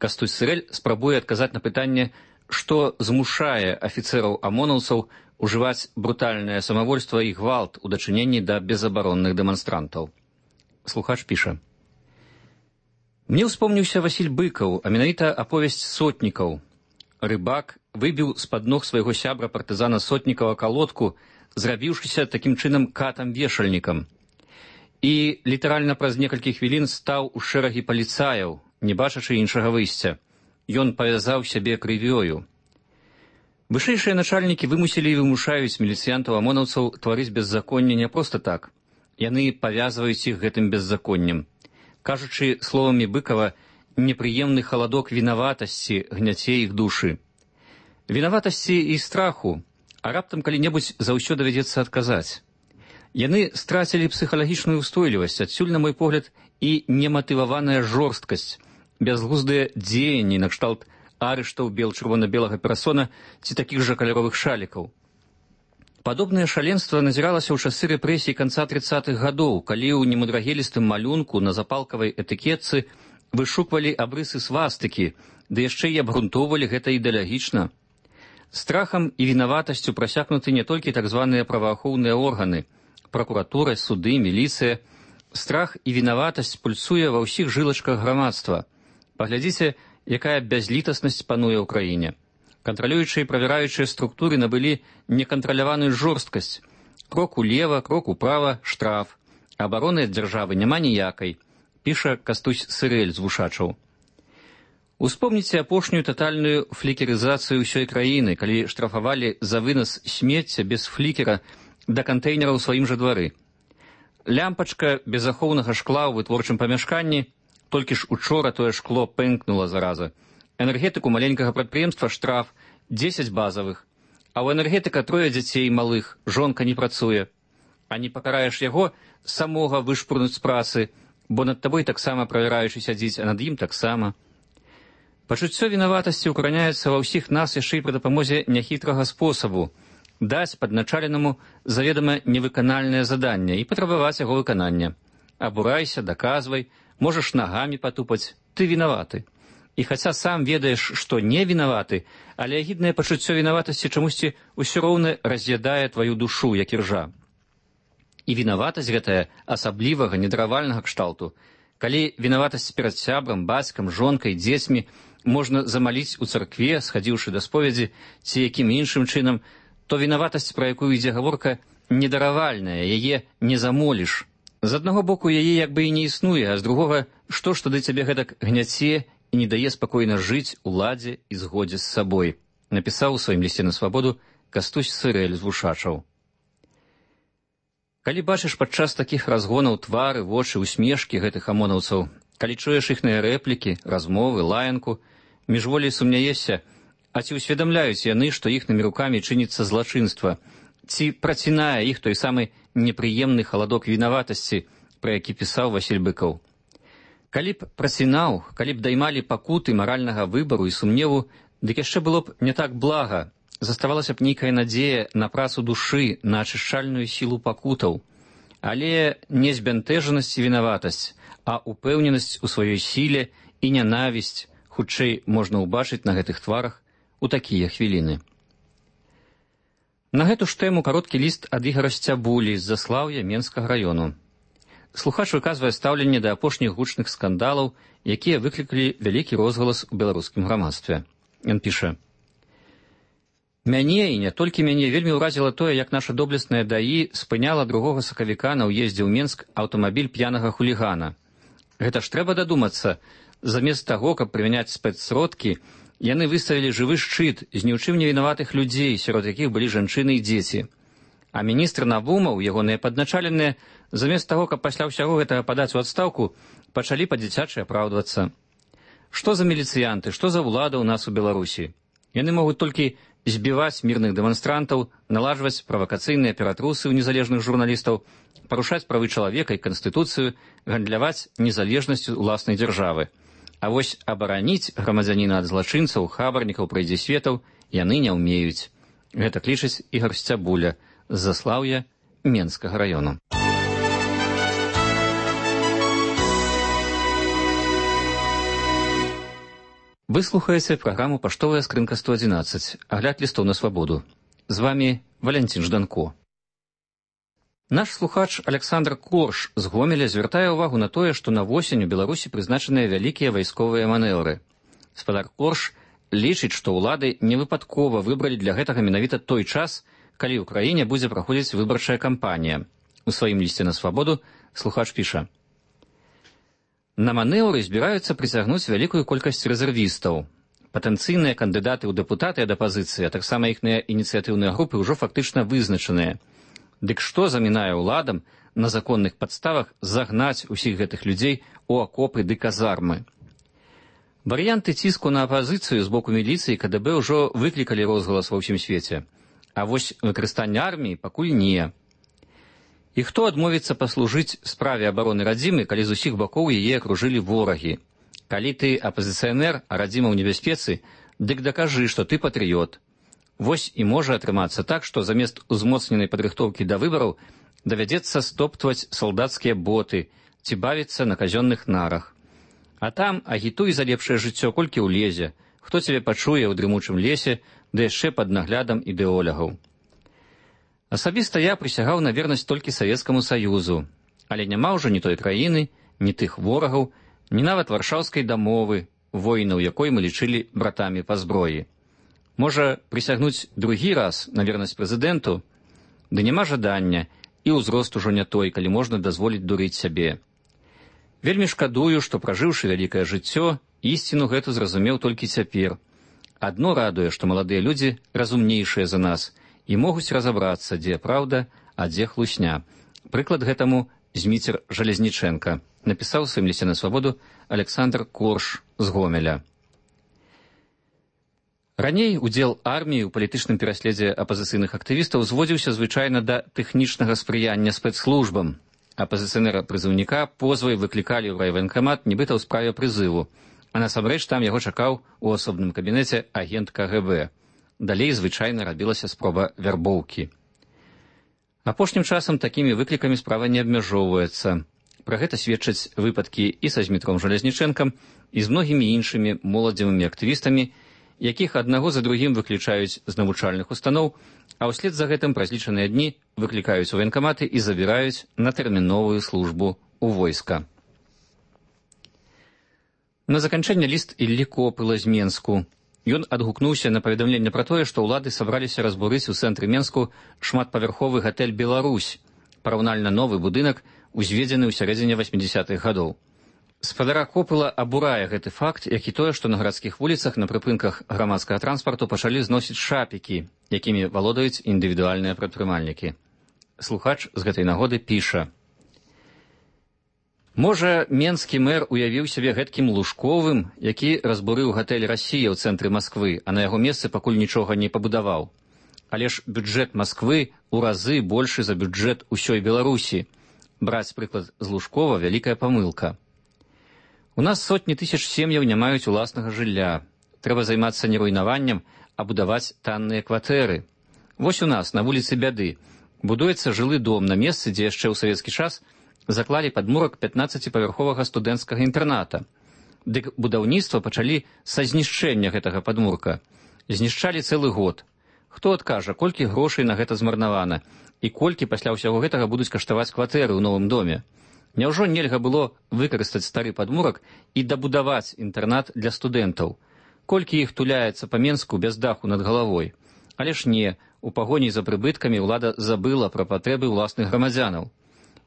[SPEAKER 26] Кастусь Сырэль спрабуе адказаць на пытанне, што змушае афіцэраў-амонаўцаў ужываць брутальнае самавольства і гвалт у дачыненні да безабаронных дэманстрантаў. Слухач піша: «Мне ўспомніўся Васіль Быкаў, а менавіта аповесць сотнікаў. Рыбак выбіў з-пад ног свайго сябра партызана Сотнікава калодку, зрабіўшыся такім чынам катам-вешальнікам. І літаральна праз некалькі хвілін стаў у шэрагі паліцаяў, не бачачы іншага выйсця. Ён павязаў сябе крывёю. Вышэйшыя начальнікі вымусілі і вымушаюць міліцыянтаў-амонаўцаў тварыць беззаконне не проста так. Яны павязваюць іх гэтым беззаконнем. Кажучы словамі Быкава, непрыемны халадок вінаватасці гняце іх душы. Вінаватасці і страху, а раптам калі-небудзь заўсё давядзецца адказаць. Яны страцілі псіхалагічную ўстойлівасць, адсюль, на мой погляд, і нематываваная жорсткасць, бязглуздыя дзеянні накшталт арыштаў бел-чырвона-белага перасона ці такіх жа каляровых шалікаў. Падобнае шаленства назіралася ў часы рэпрэсій канца 30-х гадоў, калі ў немудрагелістым малюнку на запалкавай этыкетцы вышуквалі абрысы свастыкі, ды яшчэ і абгрунтоўвалі гэта ідэалагічна. Страхам і вінаватасцю прасякнуты не толькі так званыя праваахоўныя органы, пракуратура, суды, міліцыя. Страх і вінаватасць пульсуе ва ўсіх жылачках грамадства. Паглядзіце, якая бязлітаснасць пануе ў краіне. Кантралюючыя і правяраючыя структуры набылі некантраляваную жорсткасць. Крок улева, крок управа, штраф. Абароны ад дзяржавы няма ніякай, піша Кастусь Сырэль з Вушачаў. Успомніце апошнюю татальную флікерызацыю ўсёй краіны, калі штрафавалі за вынас смецця без флікера да кантэйнера ў сваім жа двары. Лямпачка безахоўнага шкла ў вытворчым памяшканні, толькі ж учора тое шкло пэнкнула зараза. Энергетыку маленькага прадпрыемства штраф 10 базавых, а ў энергетыка 3 дзяцей малых, жонка не працуе. А не пакараеш яго, самога вышпурнуць з працы, бо над табой таксама правяраючы сядзіць, а над ім таксама. Пачуццё вінаватасці ўкараняецца ва ўсіх нас яшчэ і пры дапамозе няхітрага спосабу даць падначаленаму заведама невыканальнае заданне і патрабаваць яго выканання. Абурайся, даказвай, можаш нагамі патупаць, ты вінаваты. І хаця сам ведаеш, што не вінаваты, але агіднае пачуццё вінаватасці чамусьці ўсё роўна раз'ядае тваю душу, як іржа. І вінаватасць гэтая асаблівага, недравальнага кшталту. Калі вінаватасць перад сябрам, бацькам, жонкай, дзецьмі можна замаліць у царкве, схадзіўшы да споведзі, ці якім іншым чынам, то вінаватасць, пра якую ідзе гаворка, недаравальная, яе не замоліш. З аднаго боку, яе як бы і не існуе, а з другога, што ж тады цябе гэтак гняце і не дае спакойна жыць у ладзе і згодзе з сабой, напісаў у сваім лісце на свабоду Кастусь Сырэль з Вушачаў. Калі бачыш падчас такіх разгонаў твары, вочы, усмешкі гэтых амонаўцаў, калі чуеш іхныя рэплікі, размовы, лаянку, міжволей сумняешся, а ці ўсведамляюць яны, што іхнымі рукамі чыніцца злачынства, ці працінае іх той самы непрыемны халадок вінаватасці, пра які пісаў Васіль Быкаў. Калі б працінаў, калі б даймалі пакуты маральнага выбару і сумневу, дык яшчэ было б не так блага, заставалася б нейкая надзея на працу душы, на ачышчальную сілу пакутаў. Але не збянтэжанасць і вінаватасць, а упэўненасць у сваёй сіле і нянавісць, хутчэй можна ўбачыць на гэтых тварах у такія хвіліны. На гэту ж тэму кароткі ліст ад Ігара Сцябулі з Заслаўя Менскага раёну. Слухач выказвае стаўленне да апошніх гучных скандалаў, якія выклікалі вялікі розгалас у беларускім грамадстве. Ён піша: «Мяне, і не толькі мяне, вельмі ўразіла тое, як наша доблесная ДАІ спыняла 2 сакавіка на ўездзе ў Менск аўтамабіль п'янага хулігана. Гэта ж трэба дадумацца, замест таго, каб прымяняць спецсродкі, яны выставілі жывы шчыт з ні ў чым не вінаватых людзей, сярод якіх былі жанчыны і дзеці. А міністр Навумаў, ягоныя падначаленыя, замест таго, каб пасля ўсяго гэтага падаць у адстаўку, пачалі па-дзіцячы апраўдвацца. Што за міліцыянты, што за ўлада ў нас у Беларусі? Яны могуць толькі збіваць мірных дэманстрантаў, налажваць правакацыйныя ператрусы ў незалежных журналістаў, парушаць правы чалавека і канстытуцыю, гандляваць незалежнасцю ўласнай дзяржавы. А вось абараніць грамадзяніна ад злачынцаў, хабарнікаў, прайдзісветаў яны не ўмеюць. Гэта клічыць Ігар Сцябуля з Заслаўя Менскага раёну. Вы слухаеце праграму «Паштовая скрынка 111», агляд лістоў на свабоду. З вамі Валянцін Жданко. Наш слухач Александр Корж з Гомеля звяртае ўвагу на тое, што на восень у Беларусі прызначаныя вялікія вайсковыя манеўры. Спадар Корж лічыць, што ўлады невыпадкова выбралі для гэтага менавіта той час, калі ў краіне будзе праходзіць выбарчая кампанія. У сваім лісце на свабоду слухач піша: «На манеўры збіраюцца прыцягнуць вялікую колькасць рэзервістаў. Патэнцыйныя кандыдаты ў дэпутаты ад апазіцыі, а таксама іхныя ініцыятыўныя групы ўжо фактычна вызначаныя. Дык што замінае ўладам на законных падставах загнаць усіх гэтых людзей у акопы ды казармы? Варыянты ціску на апазіцыю з боку міліцыі і КДБ ўжо выклікалі розгалас ва ўсім свеце. А вось выкарыстанне арміі пакуль не. І хто адмовіцца паслужыць справе абароны радзімы, калі з усіх бакоў яе акружылі ворагі? Калі ты апазіцыянер, а радзіма ў небяспецы, дык дакажы, што ты патрыёт. Вось і можа атрымацца так, што замест узмоцненай падрыхтоўкі да выбараў давядзецца стоптваць салдацкія боты ці бавіцца на казённых нарах. А там агітуй за лепшае жыццё, колькі ўлезе, хто цябе пачуе ў дрымучым лесе, ды яшчэ пад наглядам ідэолягаў. Асабіста я прысягаў на вернасць толькі Савецкаму Саюзу, але няма ўжо ні той краіны, ні тых ворагаў, ні нават варшаўскай дамовы, воінаў якой мы лічылі братамі па зброі. Можа, прысягнуць другі раз на вернасць прэзідэнту? Ды няма жадання, і ўзрост ужо не той, калі можна дазволіць дурыць сябе. Вельмі шкадую, што, пражыўшы вялікае жыццё, ісціну гэту зразумеў толькі цяпер. Адно радуе, што маладыя людзі разумнейшыя за нас і могуць разабрацца, дзе праўда, а дзе хлусня. Прыклад гэтаму Зміцер Жалезнічэнка, напісаў у сваім лісце на свабоду Александр Корш з Гомеля. Раней удзел арміі ў палітычным пераследзе апазіцыйных актывістаў зводзіўся звычайна да тэхнічнага спрыяння спецслужбам. Апазіцыянера-прызыўніка позвай выклікалі ў райваенкамат нібыта ў справе прызыву, а насамрэч там яго чакаў у асобным кабінеце агент КГБ. Далей звычайна рабілася спроба вярбоўкі. Апошнім часам такімі выклікамі справа не абмяжоўваецца. Пра гэта сведчаць выпадкі і са Змітром Жалезнічэнкам, і з многімі іншымі моладзевымі актывістамі, якіх аднаго за другім выключаюць з навучальных устаноў, а ўслед за гэтым праз лічаныя дні выклікаюць у ваенкаматы і забіраюць на тэрміновую службу ў войска. На заканчэнне ліст Іллі Копыла з Менску. Ён адгукнуўся на паведамленне пра тое, што ўлады сабраліся разбурыць у цэнтры Менску шматпавярховы гатэль «Беларусь», параўнальна новы будынак, узведзены ў сярэдзіне 80-х гадоў. Спадара Копыла абурае гэты факт, як і тое, што на гарадскіх вуліцах на прыпынках грамадскага транспарту пачалі зносіць шапікі, якімі валодаюць індывідуальныя прадпрымальнікі. Слухач з гэтай нагоды піша: «Можа, менскі мэр уявіў сябе гэткім Лужковым, які разбурыў гатэль «Расія» ў цэнтры Масквы, а на яго месцы пакуль нічога не пабудаваў. Але ж бюджэт Масквы ў разы большы за бюджэт усёй Беларусі. Браць прыклад з Лужкова – вялікая памылка. У нас сотні тысяч сем'яў не маюць уласнага жылля. Трэба займацца не руйнаваннем, а будаваць танныя кватэры. Вось у нас, на вуліцы Бяды, будуецца жылы дом на месцы, дзе яшчэ ў савецкі час заклалі падмурак 15-павярховага студэнцкага інтэрната. Дык будаўніцтва пачалі са знішчэння гэтага падмурка. Знішчалі цэлы год. Хто адкажа, колькі грошай на гэта змарнавана, і колькі пасля ўсяго гэтага будуць каштаваць кватэры ў новым доме? Няўжо нельга было выкарыстаць стары падмурак і дабудаваць інтэрнат для студэнтаў? Колькі іх туляецца па Менску без даху над галавой? Але ж не, у пагоні за прыбыткамі ўлада забыла пра патрэбы ўласных грамадзянаў.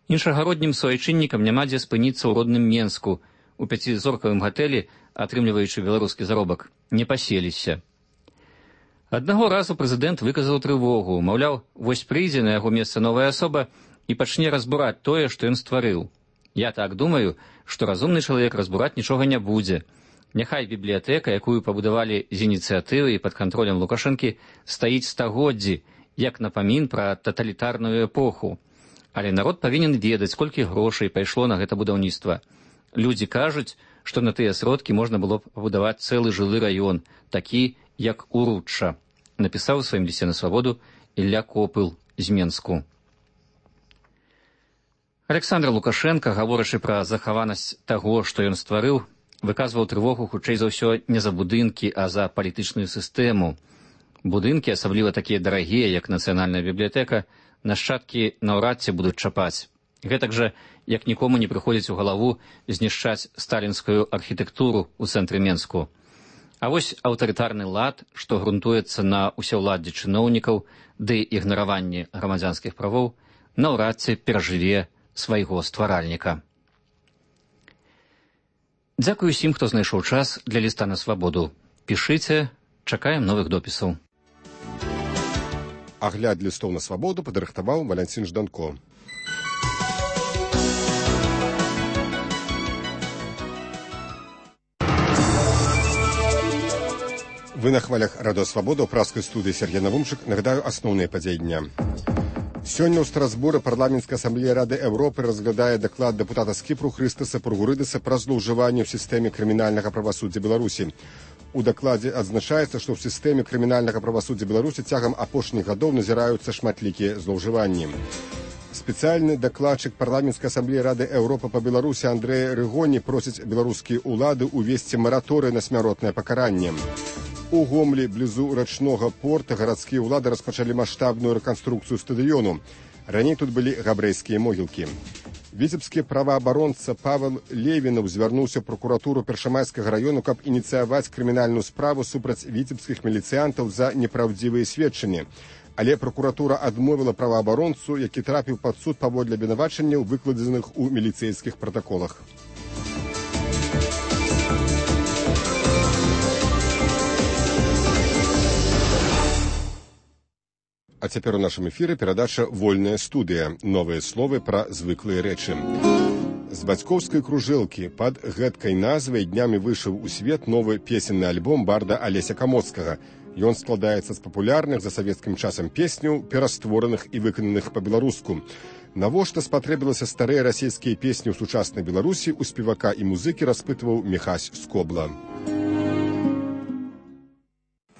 [SPEAKER 26] Іншагароднім суайчыннікам няма дзе спыніцца ў родным Менску, у 5-зоркавым гатэлі, атрымліваючы беларускі заробак, не паселіся. Аднаго разу прэзідэнт выказаў трывогу, маўляў, вось прыйдзе на яго месца новая асоба і пачне разбураць тое, што ён стварыў. Я так думаю, што разумны чалавек разбураць нічога не будзе. Няхай бібліятэка, якую пабудавалі з ініцыятывы і пад кантролем Лукашэнкі, стаіць стагоддзі, як напамін пра таталітарную эпоху. Але народ павінен ведаць, колькі грошай пайшло на гэта будаўніцтва. Людзі кажуць, што на тыя сродкі можна было б пабудаваць цэлы жылы раён, такі, як Уручча, напісаў у сваім лісце на свабоду Ілля Копыл з Менску. Александр Лукашенко, гаворачы пра захаванасць таго, што ён стварыў, выказваў трывогу хутчэй за ўсё не за будынкі, а за палітычную сістэму. Будынкі, асабліва такія дарагія, як Нацыянальная бібліятэка, нашчадкі наўрад ці будуць чапаць. Гэтак жа, як нікому не прыходзіць у галаву знішчаць сталінскую архітэктуру ў цэнтры Менску. А вось аўтарытарны лад, што грунтуецца на ўсеўладдзі чыноўнікаў ды ігнараванні грамадзянскіх правоў, наўрад ці перажыве свайго стваральніка. Дзякую усім, хто знайшоў час для ліста на свабоду. Пішыце, чакаем новых допісаў.
[SPEAKER 1] Агляд лістоў на свабоду падрыхтаваў Валянцін Жданко. Вы на хвалях радыо «Свабода» ў праскай студыі Сергей Навумчык. Нагадаю асноўныя падзеі дня. Сёння ў Страсбуры парламенцкая асамблея Рады Еўропы разглядае даклад дэпутата з Кіпру Хрыстаса Пургурыдаса пра злоўжыванне ў сістэме крымінальнага правасуддзя Беларусі. У дакладзе адзначаецца, што ў сістэме крымінальнага правасуддзя Беларусі цягам апошніх гадоў назіраюцца шматлікія злоўжыванні. Спецыяльны дакладчык парламенцкай асамблеі Рады Еўропы па Беларусі Андрэй Рыгоні просіць беларускія ўлады ўвесці мараторый на смяротнае пакаранне. У Гомлі, блізу рачнога порта, гарадскія ўлады распачалі маштабную рэканструкцыю стадыёну. Раней тут былі габрэйскія могілкі. Віцебскі праваабаронца Павел Левінаў звярнуўся ў пракуратуру Першамайскага раёну, каб ініцыяваць крымінальную справу супраць віцебскіх міліцыянтаў за непраўдзівыя сведчанні. Але пракуратура адмовіла праваабаронцу, які трапіў пад суд паводле абвінавачанняў, выкладзеных у міліцэйскіх пратаколах. А цяпер у нашым эфіры перадача «Вольная студыя». Новыя словы пра звыклыя рэчы. З бацькоўскай кружэлкі пад гэткай назвай днямі выйшаў у свет новы песенны альбом барда Алеся Камоцкага. Ён складаецца з папулярных за савецкім часам песняў, пераствораных і выкананых па-беларуску. Навошта спатрэбілася старыя расійскія песні ў сучаснай Беларусі, у спевака і музыкі распытваў Міхась Скобла.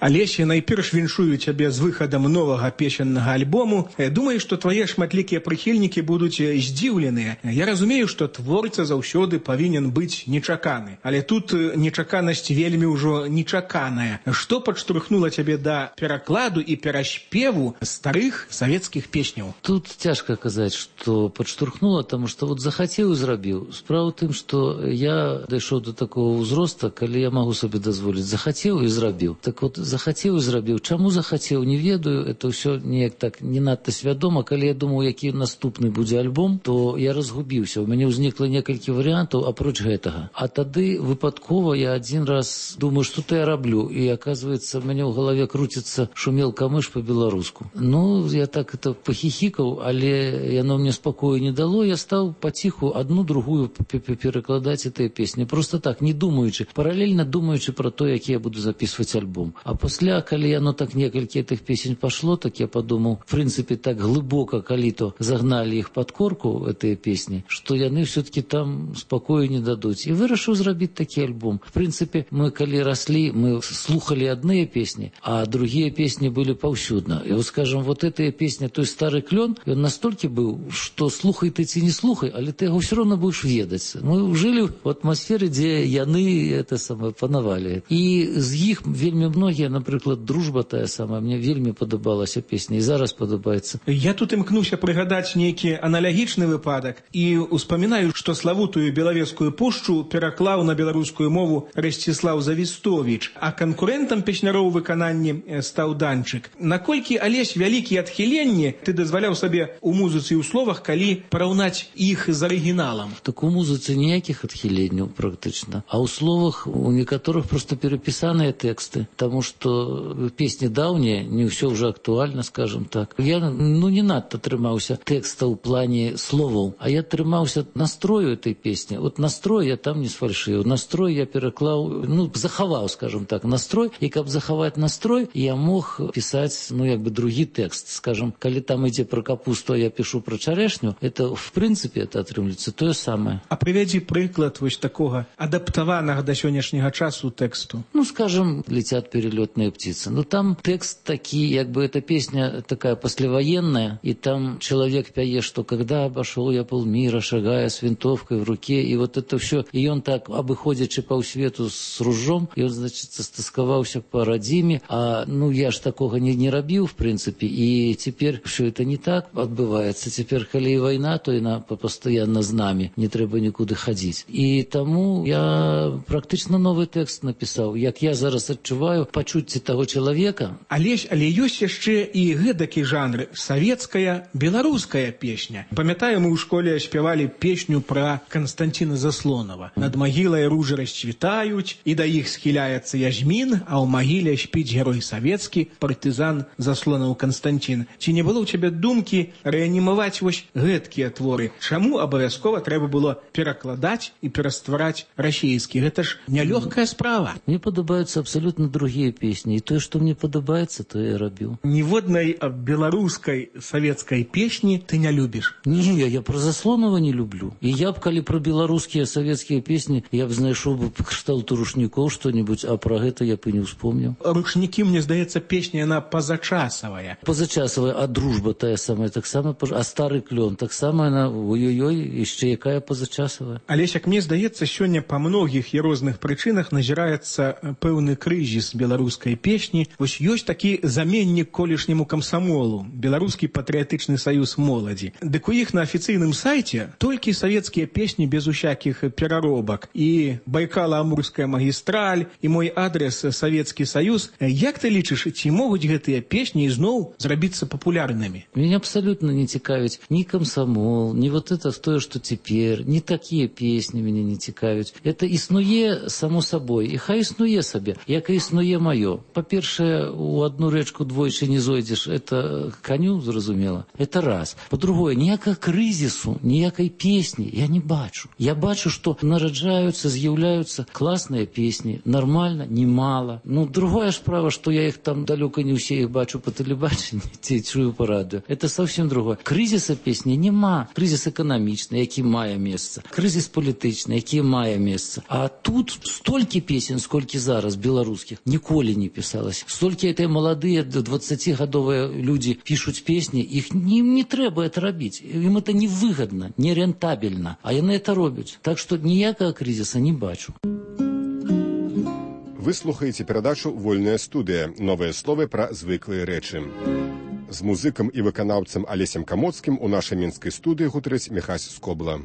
[SPEAKER 15] Алеся, найперш віншую цябе з выхадам новага песеннага альбому. Думаю, што твае шматлікія прыхільнікі будуць здзіўленыя. Я разумею, што творца заўсёды павінен быць нечаканы. Але тут нечаканасць вельмі ўжо нечаканая. Што падштурхнула цябе да перакладу і пераспеву старых савецкіх песняў?
[SPEAKER 16] Тут цяжка казаць, што падштурхнула, таму што вот захацеў і зрабіў. Справа ў тым, што я дайшоў до такого ўзроста, калі я магу сабе дазволіць. Захацеў і зрабіў. Так вот, захацеў і зрабіў. Чаму захацеў, не ведаю. Это ўсё неяк так не надта свядома. Калі я думаў, які наступны будзе альбом, то я разгубіўся. У мяне ўзнікла некалькі варыянтаў апроч гэтага. А тады выпадкова я адзін раз думаю, што-то я раблю. І, аказваецца, у мяне ў галаве круціцца «Шумел камыш» па-беларуску. Ну, я так это пахіхікаў, але яно мне спакою не дало. Я стаў паціху адну, другую перакладаць гэтыя песні. Просто так, не думаючы, паралельна думаючы пра то, які я буду записывать альбом. А пасля, калі яно так некалькі гэтых песень пашло, так я падумаў, в прынцыпе, так глыбока, калі то загналі іх пад корку, гэтыя песні, што яны ўсё-таки там спакою не дадуць. І вырашыў зрабіць такі альбом. В прынцыпе, мы калі раслі, мы слухалі адныя песні, а другія песні былі паўсюдна. І вот, скажем, вот гэтая песня, той стары клён, ён настолькі быў, што слухай ты ці не слухай, але ты яго ўсё роўна будзеш ведаць. Мы жылі в атмасферы, дзе яны это самае панавалі. І з іх вельмі многія, напрыклад, «Дружба» тая самая, мне вельмі падабалася песня і зараз падабаецца.
[SPEAKER 15] Я тут імкнуся прыгадаць нейкі аналагічны выпадак і успамінаю, што славутую Белавежскую пушчу пераклаў на беларускую мову Расціслаў Завістовіч, а канкурэнтам песняроў выкананні стаў Данчык. Наколькі, Алесь, вялікія адхіленні ты дазваляў сабе у музыцы і ў словах, калі параўнаць іх з арыгіналам?
[SPEAKER 16] Так у музыцы ніякіх адхіленняў практычна, а ў словах у некаторых проста перапісаныя тэксты, таму што песні даўнія, не ўсё ўжо актуальна, скажем так. Я, не надта трымаўся тэкста ў плане словаў, а я трымаўся настрою этой песні. Вот настрой я там не сфальшыў. Настрой я пераклаў, захаваў, скажем так, настрой, і каб захаваць настрой, я мог пісаць, другі тэкст. Скажем, калі там ідзе пра капусту, а я пішу пра чарэшню, это, в прынцыпе, это атрымліваецца тое самае.
[SPEAKER 15] А прывядзі прыклад вось такога адаптаванага да сённяшняга часу тэксту.
[SPEAKER 16] Скажем, «Летят перелетные птицы». Там текст такие, эта песня такая послевоенная, и там человек пяе, что когда обошел я полмира, шагая с винтовкой в руке, и вот это все, и он так, обыходячи по свету с ружом, и он, значит, стасковался по родиме, а, я ж такого не робил, в принципе, и теперь все это не так отбывается. Теперь, коли и война, то и постоянно з нами, не треба нікуди ходить. И тому я практично новый текст написал, як я зараз адчуваю пачуцці таго чалавека.
[SPEAKER 15] Але ёсць яшчэ і гэдакі жанр савецкая, беларуская песня. Памятаю, мы ў школе спявалі песню пра Канстанціна Заслонава. Над магілай ружы расцвітаюць, і да іх схіляецца Язьмін, а ў магіле спіць герой савецкі, партызан Заслонаў Канстанцін. Ці не было ў цябе думкі рэанімаваць вось гэткія творы? Чаму абавязкова трэба было перакладаць і пераствараць расійскі? Гэта ж нялёгкая справа.
[SPEAKER 16] Мне падабаюцца абсолютно другие песні. І тое, што мне падабаецца, то я рабіў.
[SPEAKER 15] Ніводнай беларускай савецкай песні ты не любіш?
[SPEAKER 16] Не, я про Заслонова не люблю. І я б, калі про беларускія савецкія песні, я б знайшоў бы кшталту рушнікоў што-нибудь, а про гэта я б і не ўспомніў.
[SPEAKER 15] Рушнікі, мне здаецца, песня, яна пазачасавая.
[SPEAKER 16] Пазачасавая, а дружба тая самая, таксама, а стары клён, таксама яна, ой-ой-ой, яшчэ якая пазачасавая.
[SPEAKER 15] Алесь, як мне здаецца, сёння па многіх і розных прычынах назіраецца пэўны крызіс беларускай песні. Вось ёсць такі заменнік колішняму камсамолу, Беларускі патрыятычны саюз моладзі. Дык у іх на афіцыйным сайце толькі савецкія песні без усякіх пераробак. І Байкала-Амурская магістраль, і мой адрес Савецкі Саюз. Як ты лічыш, ці могуць гэтыя песні ізноў зрабіцца папулярнымі?
[SPEAKER 16] Меня абсолютно не цікавіць ни комсомол, ни вот это то, что теперь, ни такие песни меня не цікавіць. Это існуе само собой, і хай існуе сабе, як і існуе маё. Па-першае, у одну рэчку двойчы не зойдзеш, это коню, зразумела. Это раз. По-другое, ніякага крызісу, ніякай песні я не бачу. Я бачу, што нараджаюцца, з'яўляюцца класныя песні, нормально, немало. Ну, другая справа, што я их там далёка не ўсе их бачу по тэлебачанні, ці чую по радыё. Это совсем другое. Крызіса песні нема. Крызіс эканамічны, які мае месца. Крызіс палітычны, які мае месца. А тут столькі песен, сколькі зараз беларускіх, ніколі не пісалось. Столькі этой маладыя 20-гадовыя людзі пішуць песні, іх не трэба это рабіць. Ім это невыгодно, нерентабельно. А яны это робяць. Так што ніякага крызіса не бачу.
[SPEAKER 1] Вы слухаеце перадачу «Вольная студыя». Новыя словы пра звыклыя рэчы. З музыкам і выканаўцам Алесем Камоцкім у нашай мінскай студыі гутарыць Міхась Скобла.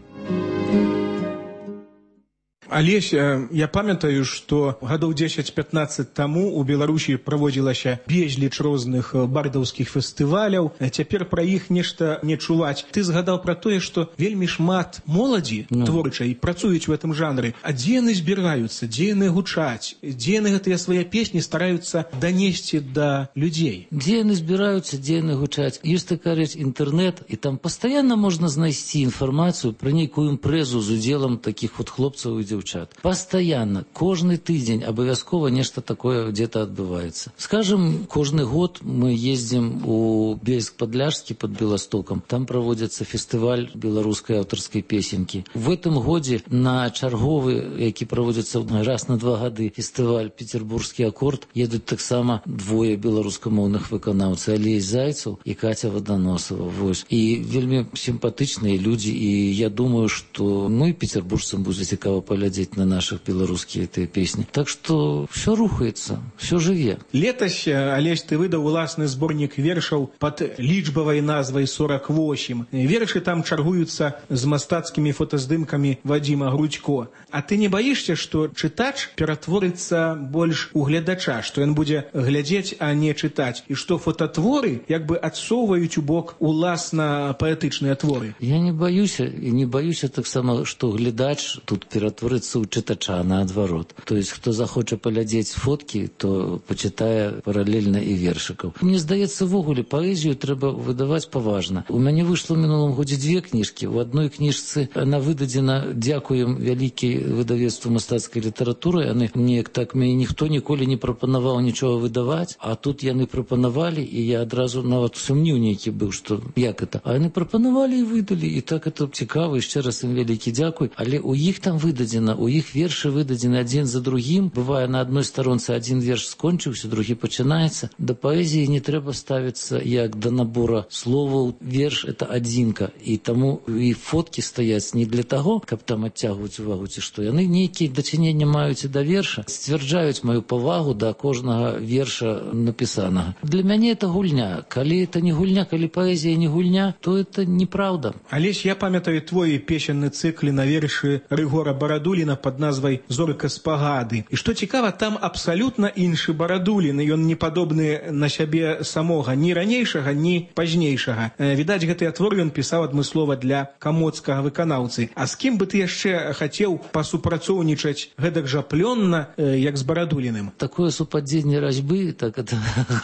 [SPEAKER 15] Алесь, я памятаю, што гадоў 10-15 таму у Беларусі праводзілася безліч розных бардаўскіх фестываляў. Цяпер пра іх нешта не чуваць. Ты згадаў пра тое, што вельмі шмат моладзі творчай працуюць у гэтым жанры. А дзе яны збіраюцца, дзе яны гучаць, дзе яны гэтыя свае песні стараюцца данесці да людзей?
[SPEAKER 16] Дзе яны збіраюцца, дзе яны гучаць? Ёсць такая рэч інтэрнэт, і там пастаянна можна знайсці інфармацыю пра нейкую імпрэзу з удзелам такіх вот хлопцаў і дзяўчат. Постоянно, кожны тыдзень абавязкова нешта такое где-то адбываецца. Скажем, кожны год мы ездзім у Бельск-Падляшскі под Беластокам. Там проводится фестываль беларускай аўтарскай песенькі. В этом годзе на чарговы, які проводится раз на 2 гады, фестываль Петербургскі акорд, едуць таксама двое беларускамоўных выканаўцаў, Алей Зайцаў і Катя Водоносова. Вось. І вельмі сімпатычныя людзі, і я думаю, што і петербуржцам будзе цікава паглядзець на наших беларускія этой песни. Так что все рухается, все жыве.
[SPEAKER 15] Летась, Алесь, ты выдаў уласны зборнік вершаў под лічбавай назвай 48. Вершы там чаргуюцца з мастацкімі фотаздымкамі Вадзіма Грудзько. А ты не баішся, што чытач ператворыцца больш у глядача, што ён будзе глядзець, а не чытаць, і што фототворы як бы адсоўваюць у бок уласна паэтычныя творы?
[SPEAKER 16] Я не баюся, і не баюся таксама, што глядач тут ператворыцца у чытача наадварот. То есть, хто захоча паглядзець фоткі, то пачытае паралельна і вершыкаў. Мне здаецца, ввогуле паэзію трэба выдаваць паважна. У мяне выйшла ў мінулым годзе 2 кніжкі. У адной кніжцы она выдадзена, дзякуем вялікай выдавецтву мастацкай літаратуры. Яны неяк так мяне ніхто ніколі не прапанаваў нічога выдаваць, а тут яны прапанавалі, і я адразу нават сумніў нейкі быў, што як это. А яны прапанавалі і выдалі, і так это цікава, і яшчэ раз ім вялікі дзякуй. Але у іх там выдадзена, у іх вершы выдадзены адзін за другім. Бывае, на адной старонцы адзін верш скончыўся, другі пачынаецца. Да паэзіі не трэба ставіцца як да набора словаў. Верш — это адзінка. І таму і фоткі стаяць не для таго, каб там адцягваць увагу, ці што. Яны нейкія дачыненні маюць і да верша, сцвярджаюць маю павагу да кожнага верша напісанага. Для мяне это гульня. Калі это не гульня, калі паэзія не гульня, то это неправда.
[SPEAKER 15] Алесь, я памятаю твой песенны цыкл на вершы Рыгора Барадуліна под назвай «Зорка спагады». І што цікава, там абсалютна іншы Барадулін, і ён не падобны на сябе самога, ні ранейшага, ні пазнейшага. Відаць, гэтыя творы ён пісаў адмыслова для камоцкага выканаўцы. А з кім бы ты яшчэ хацеў пасупрацоўнічаць гэтак жа плённа, як з Барадуліным?
[SPEAKER 16] Такое супадзенне разьбы, так это,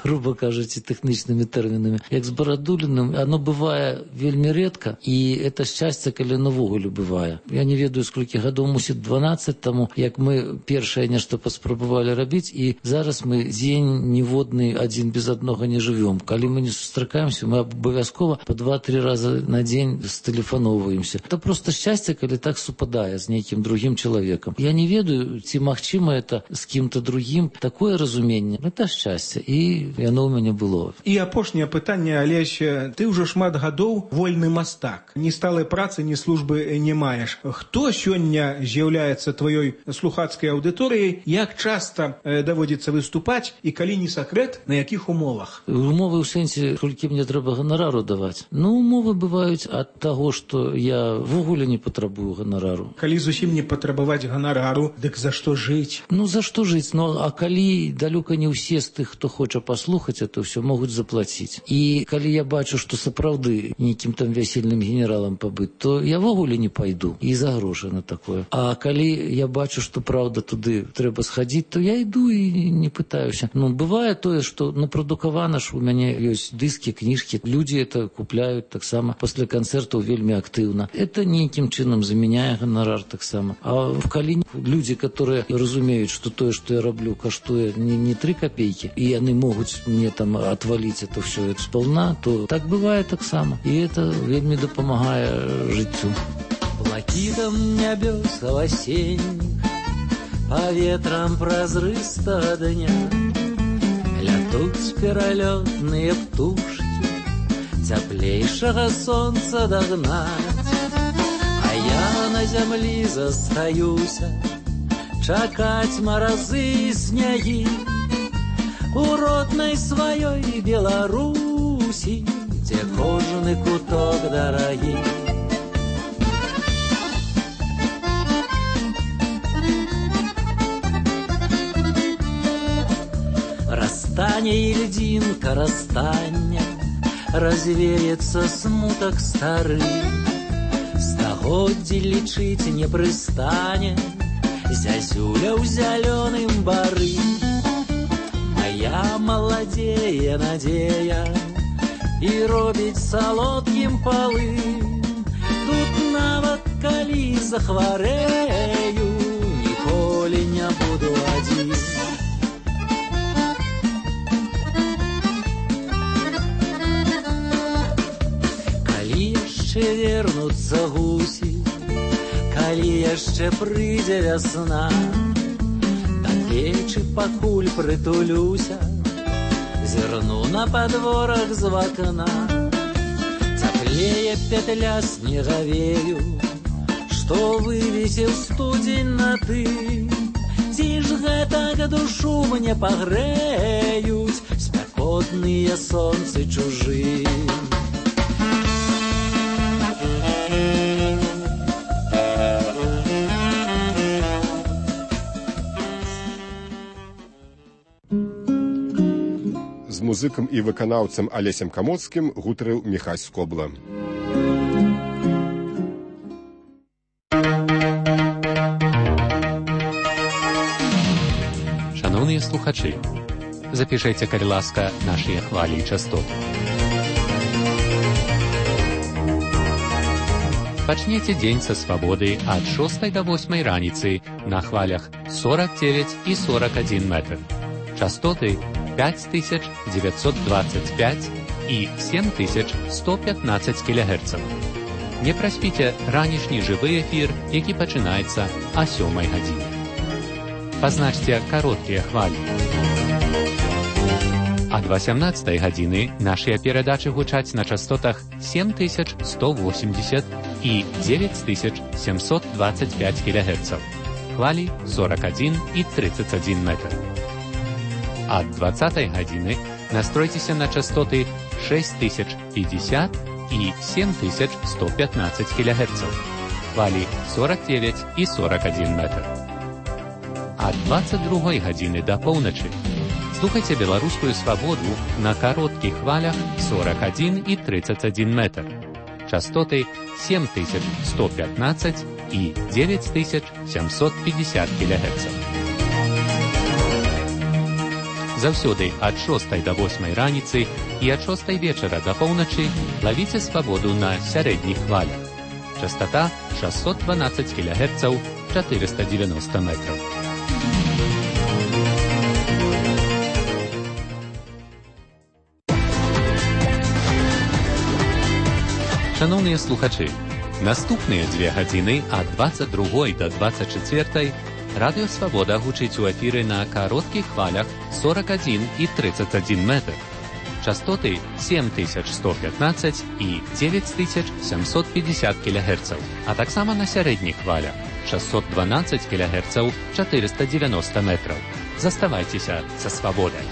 [SPEAKER 16] грубо кажучи, тэхнічнымі тэрмінамі, як з Барадуліным, оно бывае вельмі рэдка, і это шчасце, калі навогуле бывае. Я не ведаю, сколькі гадоў мусіць 2012 таму, як мы першае нешта паспрабавалі рабіць, і зараз мы дзень ніводны адзін без аднога не жывём. Калі мы не сустракаемся, мы абавязкова по 2-3 раза на дзень стэлефаноўваемся. Это просто шчасце, калі так супадае з нейкім другім чалавекам. Я не ведаю, ці магчыма это з кім-то другім. Такое разуменне, это шчасце, і яно ў мяне было.
[SPEAKER 15] І апошняе пытанне, Алесь, ты ўжо шмат гадоў вольны мастак. Ні сталай працы, ні службы не маеш. Хто сёння з'яўляецца тваёй слухацкай аўдыторыяй? Як часта даводзіцца выступаць і калі не сакрэт, на якіх умовах?
[SPEAKER 16] Умовы ў сэнсе, колькі мне трэба ганарару даваць. Умовы бываюць ад таго, што я ввогуле не патрабую ганарару.
[SPEAKER 15] Калі зусім не патрабаваць ганарару, дык за што жыць?
[SPEAKER 16] За што жыць? А калі далёка не ўсе з тых, хто хоча паслухаць, это ўсё могуць заплаціць. І калі я бачу, што сапраўды нейкім там вясельным генералам пабыць, то я ввогуле не пайду і за грошы на такое. А калі я бачу, што праўда туды трэба схадзіць, то я іду і не пытаюся. Бывае тое, што напрадукавана ж у мяне ёсць дыскі, кніжкі, людзі это купляюць таксама пасля канцэртаў вельмі актыўна. Это нейкім чынам заменяе ганарар таксама. А калі людзі, которые разумеюць, што тое, што я раблю, каштуе не 3 копейкі, і яны могуць мне там отваліць это все сполна, то так бывае таксама. І это вельмі дапамагае жыццю.
[SPEAKER 3] Блакитом нябёсаў осенних, по ветрам празрыстого дня лятуць пералётныя птушкі, цяплейшага сонца дагнаць. А я на зямлі застаюся, чакаць маразы і снягі у роднай сваёй Беларусі, дзе кожны куток дарагі. Растане ільдзінка растання, развеется смутак стары, стагоддзі лічыць не прыстане зязюля ў зялёным бары. Моя маладзее надзея і робіць салодкім палы. Тут нават калі захварэю, ніколі не буду адзін. Вернуцца гусі, калі яшчэ прыйдзе вясна, да печы пакуль прытулюся, зірну на падворах з вакна. Цяплее петля снегавею, што вывесіў студзень на ты. Ці ж гэтак душу мне пагрэюць спякотныя сонцы чужыя.
[SPEAKER 1] З музыкам і выканаўцам Алесем Камоцкім гутарыў Міхась Скобла.
[SPEAKER 5] Шановныя слухачы, запішайце, калі ласка, нашыя хвалі і частоты. Пачнеце дзень са свабоды ад 6 до 8 раніцы на хвалях 49 і 41 метр. Частоты 5925 і 7115 кГц. Не праспіце ранішні жывы эфір, які пачынаецца о 7 гадзіне. Пазначце кароткія хвалі. Ад 18 гадзіны нашыя перадачы гучаць на частотах 7180 і 9725 кГц. Хвалі 41 і 31 метр. Ад 20 гадзіны настройцеся на частоты 6050 і 7115 кГц. Хвалі 49 і 41 метр. Ад 22 гадзіны да поўначы слухайце беларускую свабоду на кароткіх хвалях 41 і 31 метр. Частоты 7115 і 9750 кГц. Заўсёды ад 6 до 8 раніцы і ад 6 вечара да поўначы лавіце свабоду на сярэдніх хвалях. Частота 612 кГц, 490 метров. Шановні слухачі, наступні 2 години від 22 до 24 Радіо Свобода гучить у ефірі на коротких хвалях 41 і 31 метр. Частоти 7115 і 9750 кГц, а так само на середніх хвалях 612 кГц 490 метрів. Заставайтеся со свободою.